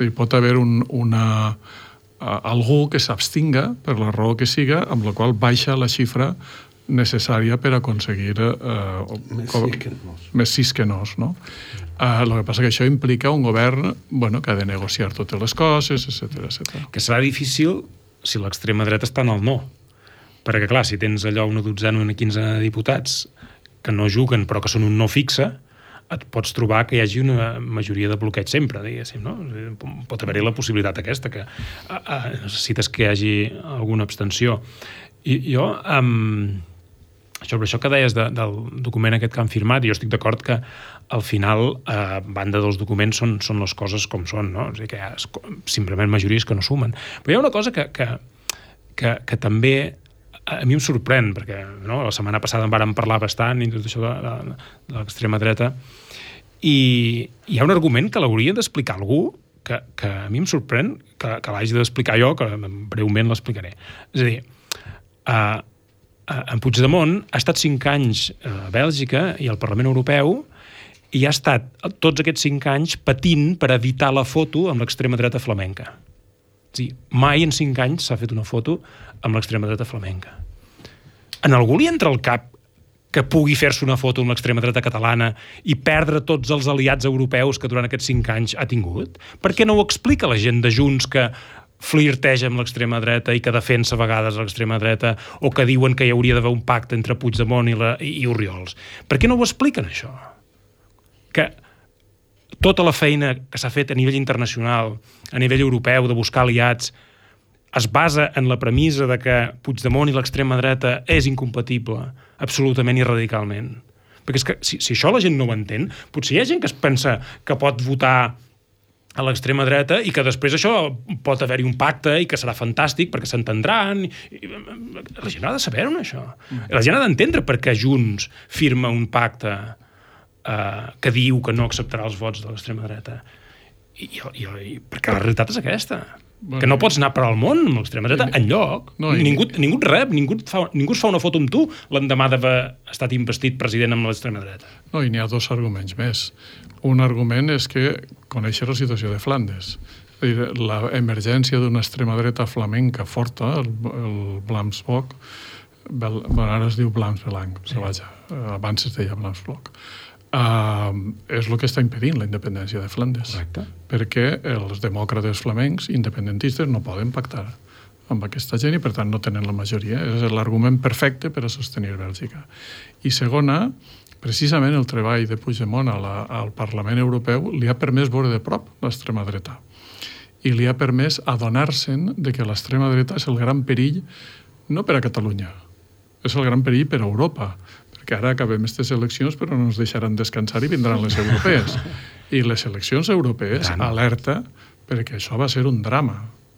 Hi pot haver un, una, uh, algú que s'abstinga, per la raó que siga, amb la qual baixa la xifra necessària per aconseguir uh, més sis que nos. Més sis que nos, no? Uh, el que passa que això implica un govern bueno, que ha de negociar totes les coses, etcètera, etcètera. Que serà difícil si l'extrema dreta està en el no. Perquè, clar, si tens allò una dotzena o una quinzena de diputats que no juguen però que són un no fixe, et pots trobar que hi hagi una majoria de bloqueig sempre, diguéssim, no? Pot haver-hi la possibilitat aquesta, que uh, uh, necessites que hi hagi alguna abstenció. I jo, um, sobre això que deies de, del document aquest que han firmat, jo estic d'acord que al final, a eh, banda dels documents, són, són les coses com són, no? O sigui que hi ha simplement majories que no sumen. Però hi ha una cosa que, que, que, que també a mi em sorprèn, perquè no, la setmana passada en vàrem parlar bastant i tot això de, de, de l'extrema dreta, i hi ha un argument que l'hauria d'explicar algú que, que a mi em sorprèn que, que l'hagi d'explicar jo, que breument l'explicaré. És a dir, uh, en Puigdemont ha estat cinc anys a Bèlgica i al Parlament Europeu i ha estat tots aquests cinc anys patint per evitar la foto amb l'extrema dreta flamenca. És a dir, mai en cinc anys s'ha fet una foto amb l'extrema dreta flamenca. En algú li entra al cap que pugui fer-se una foto amb l'extrema dreta catalana i perdre tots els aliats europeus que durant aquests cinc anys ha tingut? Per què no ho explica la gent de Junts que flirteja amb l'extrema dreta i que defensa a vegades l'extrema dreta o que diuen que hi hauria d'haver un pacte entre Puigdemont i, la, i Oriols? Per què no ho expliquen, això? Que tota la feina que s'ha fet a nivell internacional, a nivell europeu, de buscar aliats, es basa en la premissa de que Puigdemont i l'extrema dreta és incompatible, absolutament i radicalment. Perquè és que si, si això la gent no ho entén, potser hi ha gent que es pensa que pot votar a l'extrema dreta i que després això pot haver-hi un pacte i que serà fantàstic perquè s'entendran. La gent ha de saber-ho, això. La gent ha d'entendre per què Junts firma un pacte Uh, que diu que no acceptarà els vots de l'extrema dreta. I, i, i, perquè la realitat és aquesta. Bueno, que no pots anar per al món amb l'extrema dreta i, enlloc. No, i, ningú, ningú et rep, ningú, et fa, ningú es fa una foto amb tu l'endemà d'haver estat investit president amb l'extrema dreta. No, i n'hi ha dos arguments més. Un argument és que conèixer la situació de Flandes. L'emergència d'una extrema dreta flamenca forta, el, el Vlaams-Blok, bueno, ara es diu Vlaams-Belang, sí. Vaja, abans es deia Vlaams-Blok. Uh, és el que està impedint la independència de Flandes. Correcte. Perquè els demòcrates flamencs independentistes no poden pactar amb aquesta gent i per tant no tenen la majoria. És l'argument perfecte per a sostenir Bèlgica. I segona, precisament el treball de Puigdemont a la, al Parlament Europeu li ha permès veure de prop l'extrema dreta i li ha permès adonar-se'n de que l'extrema dreta és el gran perill no per a Catalunya, és el gran perill per a Europa, perquè ara acabem aquestes eleccions però no ens deixaran descansar i vindran les europees. I les eleccions europees alerta perquè això va ser un drama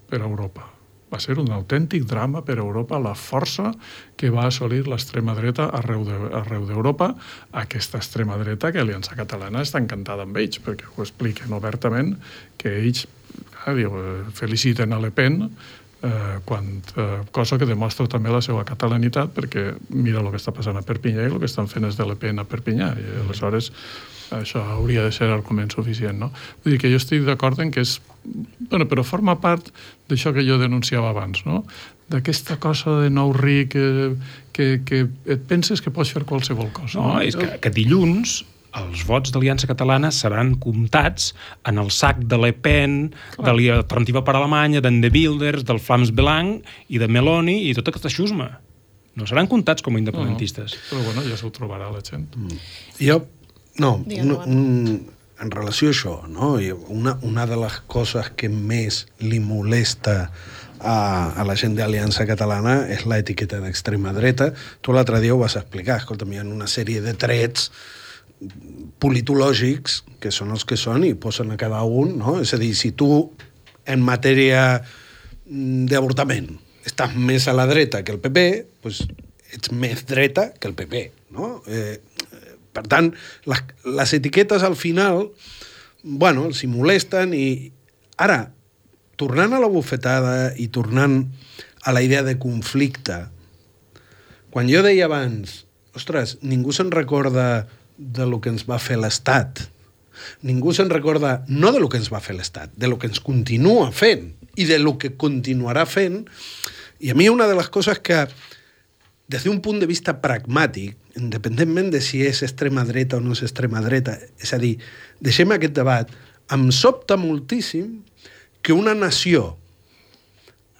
per a Europa. Va ser un autèntic drama per a Europa, la força que va assolir l'extrema dreta arreu de, arreu d'Europa, aquesta extrema dreta que Aliança Catalana està encantada amb ells, perquè ho expliquen obertament, que ells clar, diu, feliciten a Le Pen, Eh, quan, eh, cosa que demostra també la seva catalanitat, perquè mira el que està passant a Perpinyà i el que estan fent és de Le Pen a Perpinyà, i aleshores això hauria de ser argument suficient, no? Vull dir que jo estic d'acord en que és... Bueno, però forma part d'això que jo denunciava abans, no? D'aquesta cosa de nou ric que, que, que et penses que pots fer qualsevol cosa. No, no? És que, que dilluns els vots d'Aliança Catalana seran comptats en el sac de Le Pen, clar, de l'Alternativa per Alemanya, d'en De Wilders, del Vlaams-Belang i de Meloni i tota aquesta xusma. No seran comptats com a independentistes. No, no. Però bueno, ja s'ho trobarà la gent. Mm. Jo, no, un, un, en relació a això, no? una, una de les coses que més li molesta a, a la gent d'Aliança Catalana és l'etiqueta d'extrema dreta. Tu l'altre dia ho vas explicar, escolta, hi ha una sèrie de trets politològics, que són els que són, i posen a cada un, no? És a dir, si tu, en matèria d'avortament, estàs més a la dreta que el P P, doncs ets més dreta que el P P, no? Eh, per tant, les, les etiquetes al final, bueno, els hi molesten i... Ara, tornant a la bufetada i tornant a la idea de conflicte, quan jo deia abans, ostres, ningú se'n recorda de lo que ens va fer l'Estat. Ningú se'n recorda no de lo que ens va fer l'Estat, de lo que ens continua fent i de lo que continuarà fent. I a mi una de les coses que, des d'un punt de vista pragmàtic, independentment de si és extrema dreta o no és extrema dreta, és a dir, deixem aquest debat, em sobta moltíssim que una nació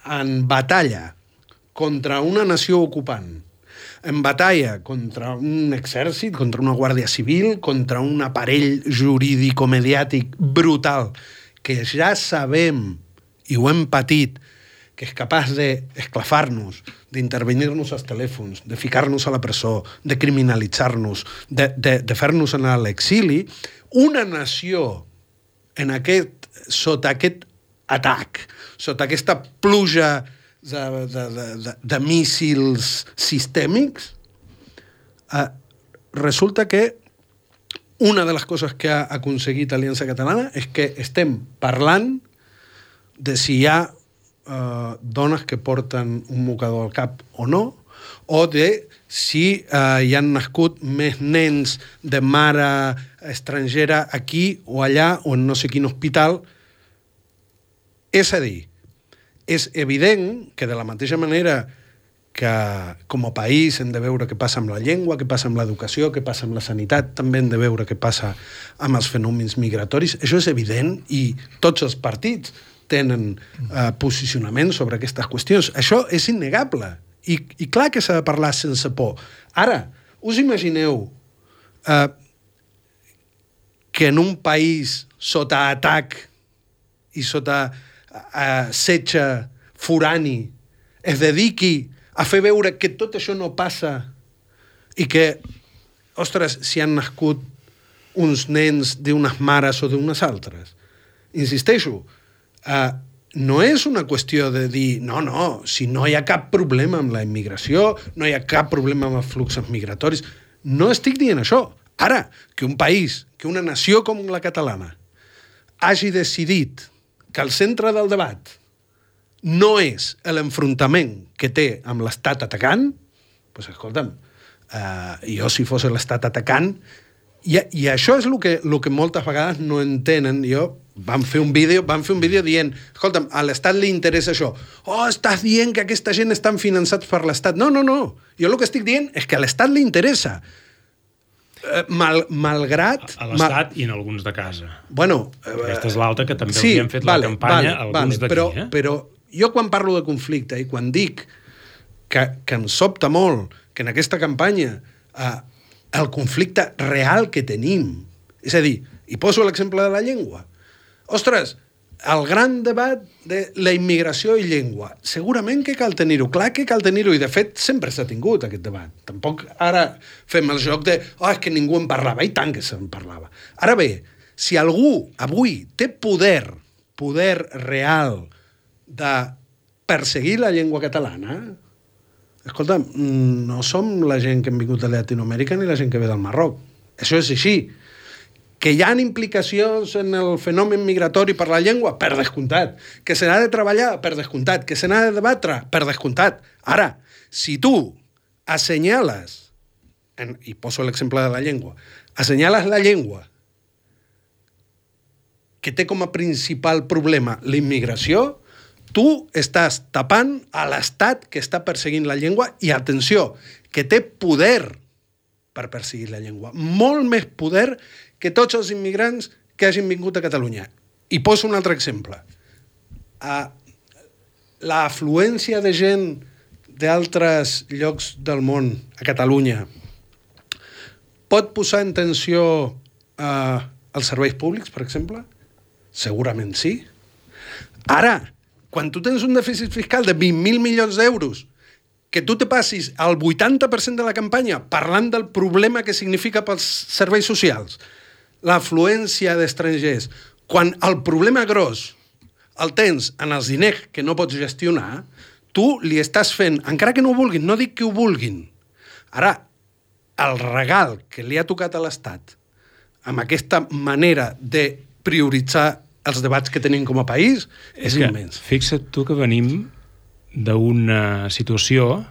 en batalla contra una nació ocupant en batalla contra un exèrcit, contra una guàrdia civil, contra un aparell jurídico-mediàtic brutal, que ja sabem, i ho hem patit, que és capaç d'esclafar-nos, d'intervenir-nos als telèfons, de ficar-nos a la presó, de criminalitzar-nos, de, de, de fer-nos anar a l'exili, una nació en aquest, sota aquest atac, sota aquesta pluja de, de, de, de, de míssils sistèmics, eh, resulta que una de les coses que ha aconseguit Aliança Catalana és que estem parlant de si hi ha eh, dones que porten un mocador al cap o no, o de si eh, hi han nascut més nens de mare estrangera aquí o allà o en no sé quin hospital. És a dir, és evident que de la mateixa manera que com a país hem de veure què passa amb la llengua, què passa amb l'educació, què passa amb la sanitat, també hem de veure què passa amb els fenòmens migratoris. Això és evident i tots els partits tenen eh, posicionament sobre aquestes qüestions. Això és innegable. I, i clar que s'ha de parlar sense por. Ara, us imagineu eh, que en un país sota atac i sota eh, setge forani es dediqui a fer veure que tot això no passa i que, ostres, si han nascut uns nens d'unes mares o d'unes altres. Insisteixo, eh, no és una qüestió de dir no, no, si no hi ha cap problema amb la immigració, no hi ha cap problema amb els fluxos migratoris. No estic dient això. Ara, que un país, que una nació com la catalana hagi decidit que el centre del debat no és l'enfrontament que té amb l'estat atacant, doncs escolta'm, eh, jo si fos l'estat atacant, i, i això és el que, el que moltes vegades no entenen. Jo vam fer un vídeo, vam fer un vídeo dient, escolta'm, a l'estat li interessa això. Oh, estàs dient que aquesta gent estan finançats per l'estat. No, no, no. Jo el que estic dient és que a l'estat li interessa. Mal, malgrat... A, a l'estat mal... i en alguns de casa. Bueno... Aquesta és l'altra que també sí, els hem fet vale, la campanya, vale, alguns vale, d'aquí. Però, eh? però jo quan parlo de conflicte i quan dic que, que em sobta molt que en aquesta campanya eh, el conflicte real que tenim, és a dir, i poso l'exemple de la llengua, ostres, el gran debat de la immigració i llengua, segurament que cal tenir-ho, clar que cal tenir-ho, i de fet sempre s'ha tingut aquest debat. Tampoc ara fem el joc de oh, és que ningú en parlava, i tant que se'n parlava. Ara bé, si algú avui té poder, poder real de perseguir la llengua catalana, escolta, no som la gent que hem vingut de Llatinoamèrica ni la gent que ve del Marroc. Això és així. Que hi ha implicacions en el fenomen migratori per la llengua? Per descomptat. Que se n'ha de treballar? Per descomptat. Que se n'ha de debatre? Per descomptat. Ara, si tu assenyales, en, i poso l'exemple de la llengua, assenyales la llengua que té com a principal problema la immigració, tu estàs tapant a l'estat que està perseguint la llengua i, atenció, que té poder per perseguir la llengua. Molt més poder que tots els immigrants que hagin vingut a Catalunya. I poso un altre exemple. Uh, la afluència de gent d'altres llocs del món a Catalunya pot posar en tensió uh, els serveis públics, per exemple? Segurament sí. Ara, quan tu tens un dèficit fiscal de vint mil milions d'euros, que tu te passis el vuitanta per cent de la campanya parlant del problema que significa pels serveis socials, l'afluència d'estrangers, quan el problema gros el tens en els diners que no pots gestionar, tu li estàs fent, encara que no ho vulguin, no dic que ho vulguin. Ara, el regal que li ha tocat a l'Estat amb aquesta manera de prioritzar els debats que tenim com a país és, és immens. Fixa't tu que venim d'una situació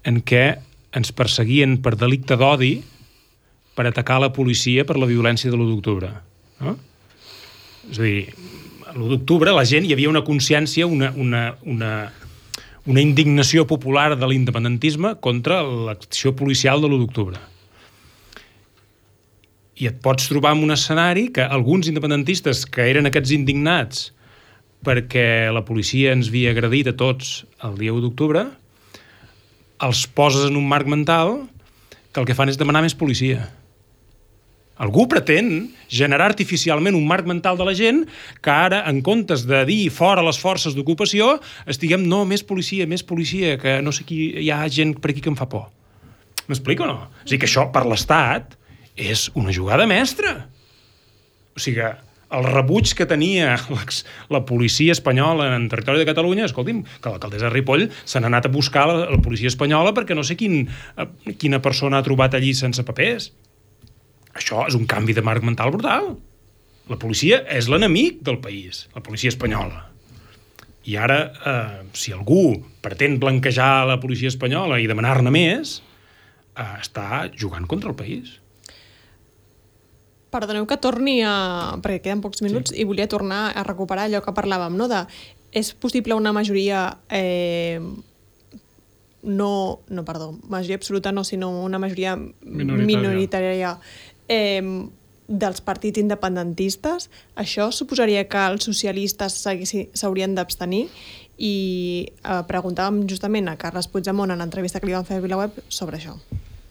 en què ens perseguien per delicte d'odi per atacar la policia per la violència de l'u d'octubre. No? És a dir, a l'u d'octubre la gent, hi havia una consciència, una, una, una, una indignació popular de l'independentisme contra l'acció policial de l'u d'octubre. I et pots trobar en un escenari que alguns independentistes que eren aquests indignats perquè la policia ens havia agredit a tots el dia u d'octubre els poses en un marc mental que el que fan és demanar més policia. Algú pretén generar artificialment un marc mental de la gent que ara, en comptes de dir fora les forces d'ocupació, estiguem, no, més policia, més policia, que no sé qui, hi ha gent per aquí que em fa por. M'explico o no? És a dir, que això per l'Estat és una jugada mestra. O sigui, el rebuig que tenia la policia espanyola en territori de Catalunya, escolti'm, que l'alcaldessa de Ripoll se n'ha anat a buscar la, la policia espanyola perquè no sé quin, quina persona ha trobat allí sense papers. Això és un canvi de marc mental brutal. La policia és l'enemic del país, la policia espanyola. I ara, eh, si algú pretén blanquejar la policia espanyola i demanar-ne més, eh, està jugant contra el país. Perdoneu que torni a... perquè queden pocs minuts, sí. I volia tornar a recuperar allò que parlàvem, no? De, és possible una majoria... Eh, no, no, perdó, majoria absoluta no, sinó una majoria minoritària, minoritària eh, dels partits independentistes. Això suposaria que els socialistes s'haurien d'abstenir i eh, preguntàvem justament a Carles Puigdemont en l'entrevista que li van fer a VilaWeb sobre això.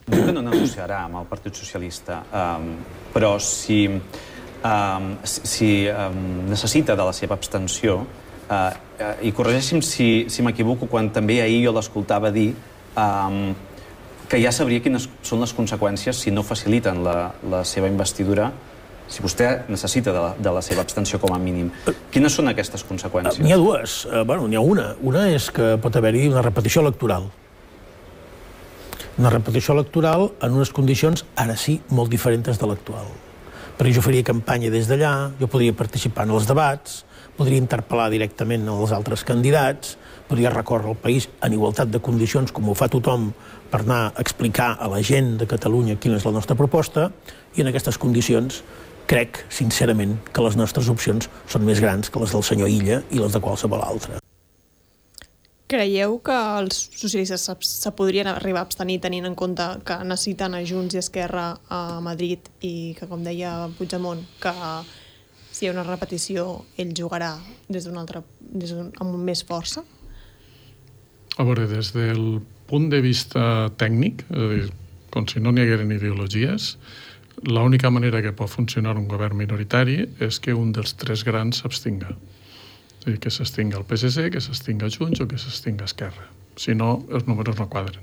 Diu que no negociarà amb el Partit Socialista, um, però si, um, si um, necessita de la seva abstenció, uh, uh, i corregeixi'm si, si m'equivoco, quan també ahir jo l'escoltava dir um, que ja sabria quines són les conseqüències si no faciliten la, la seva investidura, si vostè necessita de la, de la seva abstenció com a mínim. Quines són aquestes conseqüències? N'hi ha dues. Uh, bueno, n'hi ha una. Una és que pot haver-hi una repetició electoral. Una repetició electoral en unes condicions, ara sí, molt diferents de l'actual. Perquè jo faria campanya des d'allà, jo podria participar en els debats, podria interpel·lar directament els altres candidats, podria recórrer el país en igualtat de condicions, com ho fa tothom, per anar a explicar a la gent de Catalunya quina és la nostra proposta, i en aquestes condicions crec, sincerament, que les nostres opcions són més grans que les del senyor Illa i les de qualsevol altre. Creieu que els socialistes se podrien arribar a abstenir tenint en compte que necessiten a Junts i Esquerra a Madrid i que, com deia Puigdemont, que si hi ha una repetició ell jugarà des d'un altre, des d'un, amb més força? A veure, des del punt de vista tècnic, és a dir, com si no n'hi hagueren ideologies, l'única manera que pot funcionar un govern minoritari és que un dels tres grans s'abstinga. És a dir, que s'extinga el P S C, que s'extinga Junts o que s'extinga Esquerra. Si no, els números no quadren.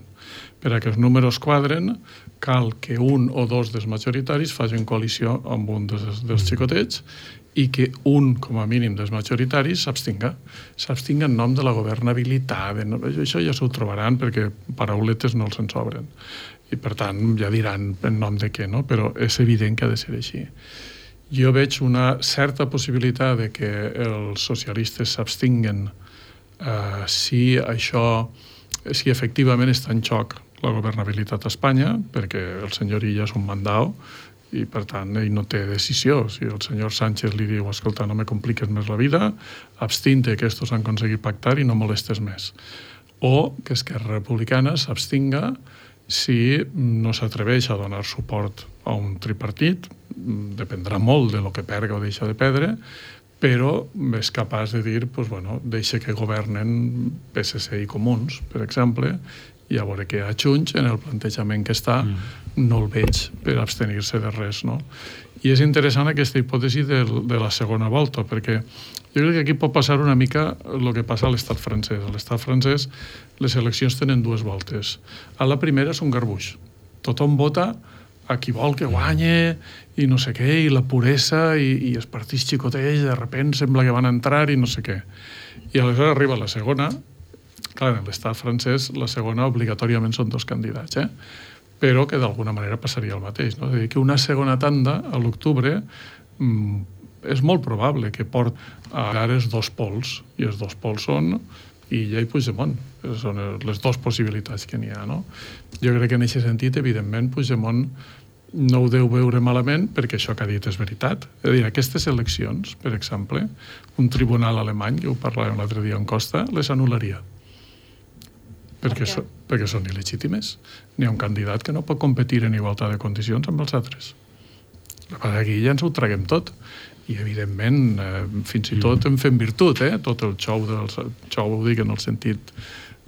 Per a que els números quadren, cal que un o dos dels majoritaris facin coalició amb un dels, dels xicotets i que un, com a mínim, dels majoritaris s'abstinga. S'abstinga en nom de la governabilitat. Això ja s'ho trobaran perquè parauletes no els en sobren. I, per tant, ja diran en nom de què, no? Però és evident que ha de ser així. Jo veig una certa possibilitat de que els socialistes s'abstinguen eh, si això, si efectivament està en xoc la governabilitat a Espanya, perquè el senyor Illa és un mandau i, per tant, ell no té decisió. Si el senyor Sánchez li diu, escolta, no me compliques més la vida, abstinte, que estos han aconseguit pactar i no molestes més. O que Esquerra Republicana s'abstinga si no s'atreveix a donar suport a un tripartit, dependrà molt de lo que perga o deixa de perdre, però és capaç de dir, pues, bueno, deixa que governen P S C i Comuns, per exemple, i a veure que a Junts, en el plantejament que està, mm. no el veig per abstenir-se de res, no? I és interessant aquesta hipòtesi de, de la segona volta, perquè jo crec que aquí pot passar una mica el que passa a l'estat francès. A l'estat francès les eleccions tenen dues voltes. A la primera és un garbuix. Tothom vota a qui vol que guanye i no sé què, i la puresa i, i els partits xicotets de repent sembla que van entrar i no sé què. I aleshores arriba la segona. Clar, en l'estat francès la segona obligatòriament són dos candidats, eh? Però que d'alguna manera passaria el mateix, no? És a dir, que una segona tanda a l'octubre mmm, és molt probable que port a els dos pols, i els dos pols són Illa i Puigdemont. Són les dues possibilitats que n'hi ha, no? Jo crec que en aquest sentit, evidentment, Puigdemont no ho deu veure malament perquè això que ha dit és veritat. És a dir, aquestes eleccions, per exemple, un tribunal alemany, que ho parlàvem l'altre dia en Costa, les anul·laria. Perquè, so, perquè són il·legítimes. N'hi ha un candidat que no pot competir en igualtat de condicions amb els altres. Aquí ja ens ho traguem tot. I, evidentment, eh, fins i tot en fem virtut, eh? Tot el xou, del, xou ho dic en el sentit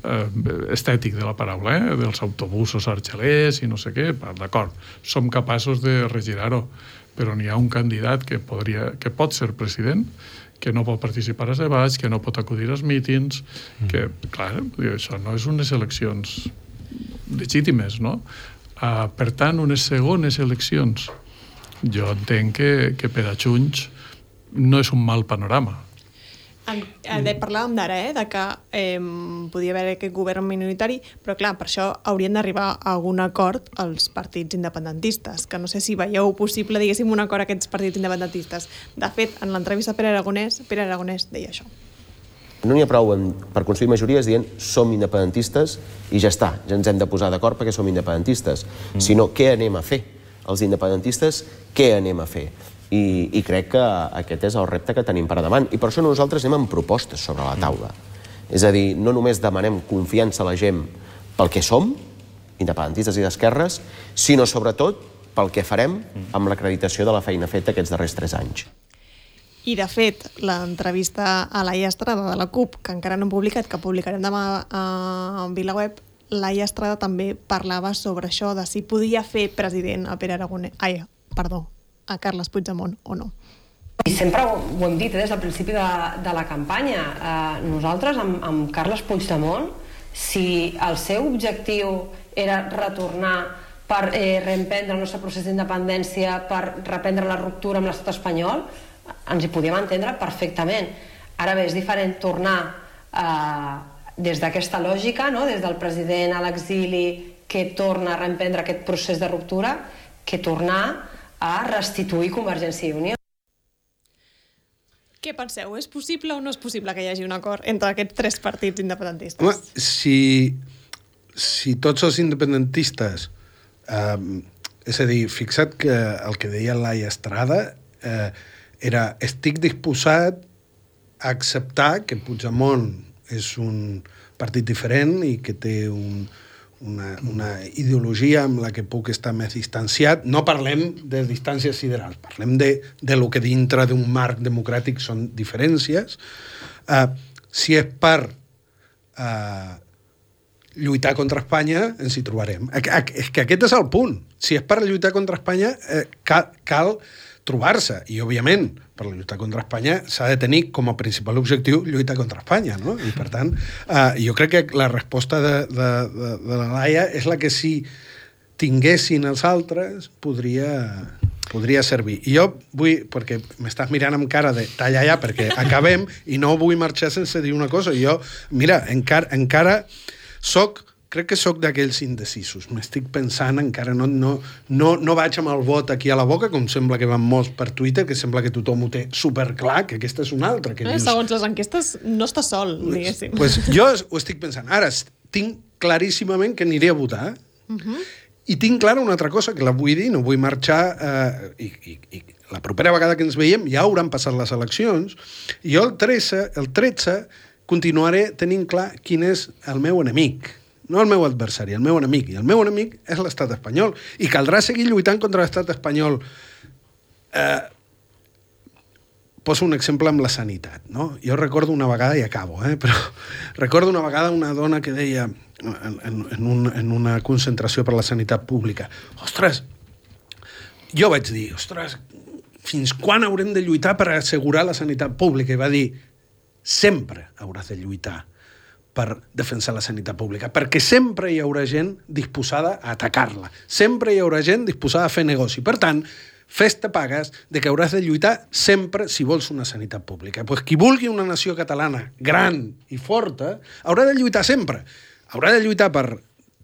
eh, estètic de la paraula, eh? dels autobusos argelers i no sé què, d'acord, som capaços de regirar-ho, però n'hi ha un candidat que, podria, que pot ser president, que no pot participar als debats, que no pot acudir als mítings, mm. que, clar, això no és unes eleccions legítimes, no? Uh, per tant, unes segones eleccions, jo entenc que, que per a Junts no és un mal panorama. En, en, parlàvem d'ara, eh, de que eh, podia haver aquest govern minoritari, però clar, per això haurien d'arribar a algun acord els partits independentistes, que no sé si veieu possible, diguéssim, un acord a aquests partits independentistes. De fet, en l'entrevista a Pere Aragonès, Pere Aragonès deia això. No n'hi ha prou en, per construir majories dient som independentistes i ja està, ja ens hem de posar d'acord perquè som independentistes, mm. sinó què anem a fer? Els independentistes, què anem a fer? I, i crec que aquest és el repte que tenim per davant. I per això nosaltres anem amb propostes sobre la taula. Mm. És a dir, no només demanem confiança a la gent pel que som, independentistes i d'esquerres, sinó sobretot pel que farem amb l'acreditació de la feina feta aquests darrers tres anys. I, de fet, l'entrevista a Laia Estrada de la CUP, que encara no hem publicat, que publicarem demà a VilaWeb, Laia Estrada també parlava sobre això, de si podia fer president a Pere Aragonès... Ai, perdó, a Carles Puigdemont o no. I sempre ho, ho hem dit eh, des del principi de, de la campanya. Eh, nosaltres, amb, amb Carles Puigdemont, si el seu objectiu era retornar per eh, reemprendre el nostre procés d'independència, per reprendre la ruptura amb l'estat espanyol, ens hi podíem entendre perfectament. Ara bé, és diferent tornar eh, des d'aquesta lògica, no? Des del president a l'exili que torna a reemprendre aquest procés de ruptura, que tornar a restituir Convergència i Unió. Què penseu? És possible o no és possible que hi hagi un acord entre aquests tres partits independentistes? Home, si, si tots els independentistes... Eh, és a dir, fixa't que el que deia Laia Estrada eh, era estic disposat a acceptar que Puigdemont és un partit diferent i que té un... Una, una ideologia amb la que puc estar més distanciat. No parlem de distàncies siderals, parlem de, de lo que dintre d'un marc democràtic són diferències. Uh, si és per uh, lluitar contra Espanya, ens hi trobarem. És que aquest és el punt. Si és per lluitar contra Espanya, eh, cal, cal trobar-se. I, òbviament, per lluitar contra Espanya s'ha de tenir com a principal objectiu lluitar contra Espanya, no? I, per tant, eh, jo crec que la resposta de, de, de, de la Laia és la que si tinguessin els altres podria, podria servir. I jo vull, perquè m'estàs mirant amb cara de talla ja, perquè acabem, i no vull marxar sense dir una cosa. Jo, mira, encara, encara soc crec que sóc d'aquells indecisos. M'estic pensant, encara no, no, no, no vaig amb el vot aquí a la boca, com sembla que van molts per Twitter, que sembla que tothom ho té superclar, que aquesta és una altra. Que eh, dius... Segons les enquestes, no està sol, diguéssim. Pues jo ho estic pensant. Ara, tinc claríssimament que aniré a votar, uh-huh. i tinc clara una altra cosa, que la vull dir, no vull marxar, eh, i, i, i la propera vegada que ens veiem ja hauran passat les eleccions, i jo el tretze, el tretze continuaré tenint clar quin és el meu enemic. No el meu adversari, el meu enemic. I el meu enemic és l'estat espanyol. I caldrà seguir lluitant contra l'estat espanyol. Eh, poso un exemple amb la sanitat, no? Jo recordo una vegada, i acabo, eh, però recordo una vegada una dona que deia en, en, en, un, en una concentració per la sanitat pública, ostres, jo vaig dir, ostres, fins quan haurem de lluitar per assegurar la sanitat pública? I va dir, sempre hauràs de lluitar per defensar la sanitat pública, perquè sempre hi haurà gent disposada a atacar-la, sempre hi haurà gent disposada a fer negoci. Per tant, fes-te pagues de que hauràs de lluitar sempre si vols una sanitat pública. Pues qui vulgui una nació catalana gran i forta haurà de lluitar sempre. Haurà de lluitar per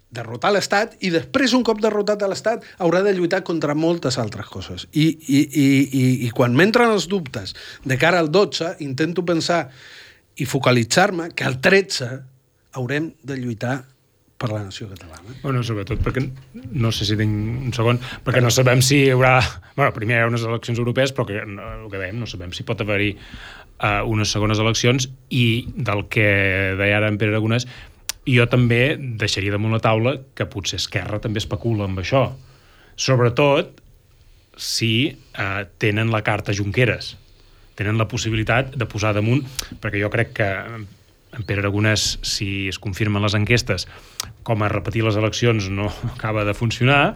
derrotar l'Estat i després, un cop derrotat a l'Estat, haurà de lluitar contra moltes altres coses. I, i, i, i, i quan m'entren els dubtes de cara al dotze, intento pensar i focalitzar-me que al tretze haurem de lluitar per la nació catalana. Bueno, sobretot perquè, no sé si tinc un segon, perquè no sabem si hi haurà... Bueno, primer hi ha unes eleccions europees, però que, el que dèiem, no sabem si pot haver-hi uh, unes segones eleccions, i del que deia ara en Pere Aragonès, jo també deixaria damunt la taula que potser Esquerra també especula amb això. Sobretot si uh, tenen la carta Junqueras. Tenen la possibilitat de posar damunt, perquè jo crec que en Pere Aragonès, si es confirmen les enquestes, com a repetir les eleccions no acaba de funcionar,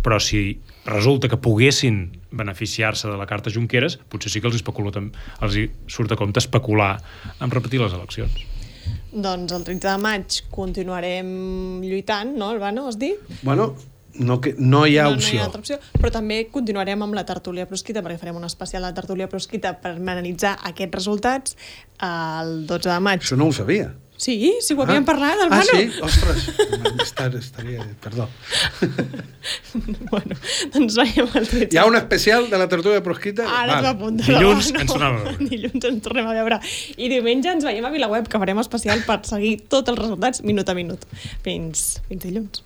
però si resulta que poguessin beneficiar-se de la carta Junqueras, potser sí que els, especula, els surt a compte especular en repetir les eleccions. Doncs el tretze de maig continuarem lluitant, no, Albano, has dit? Bueno, no, que, no hi ha no, opció. No hi ha altra opció, però també continuarem amb la tertúlia prosquita, perquè farem un especial de la tertúlia prosquita per analitzar aquests resultats el dotze de maig. Això no ho sabia. Sí, sí, ho havíem ah. parlat, Albano. Ah, sí? Ostres, estar, estaria... Perdó. Bueno, doncs veiem el tretze. Hi ha un especial de la tertúlia prosquita? Ara t'ho apunta. Dilluns ens tornem a veure. Dilluns ens tornem a veure. I diumenge ens veiem a VilaWeb, que farem especial per seguir tots els resultats minut a minut. Fins, fins dilluns.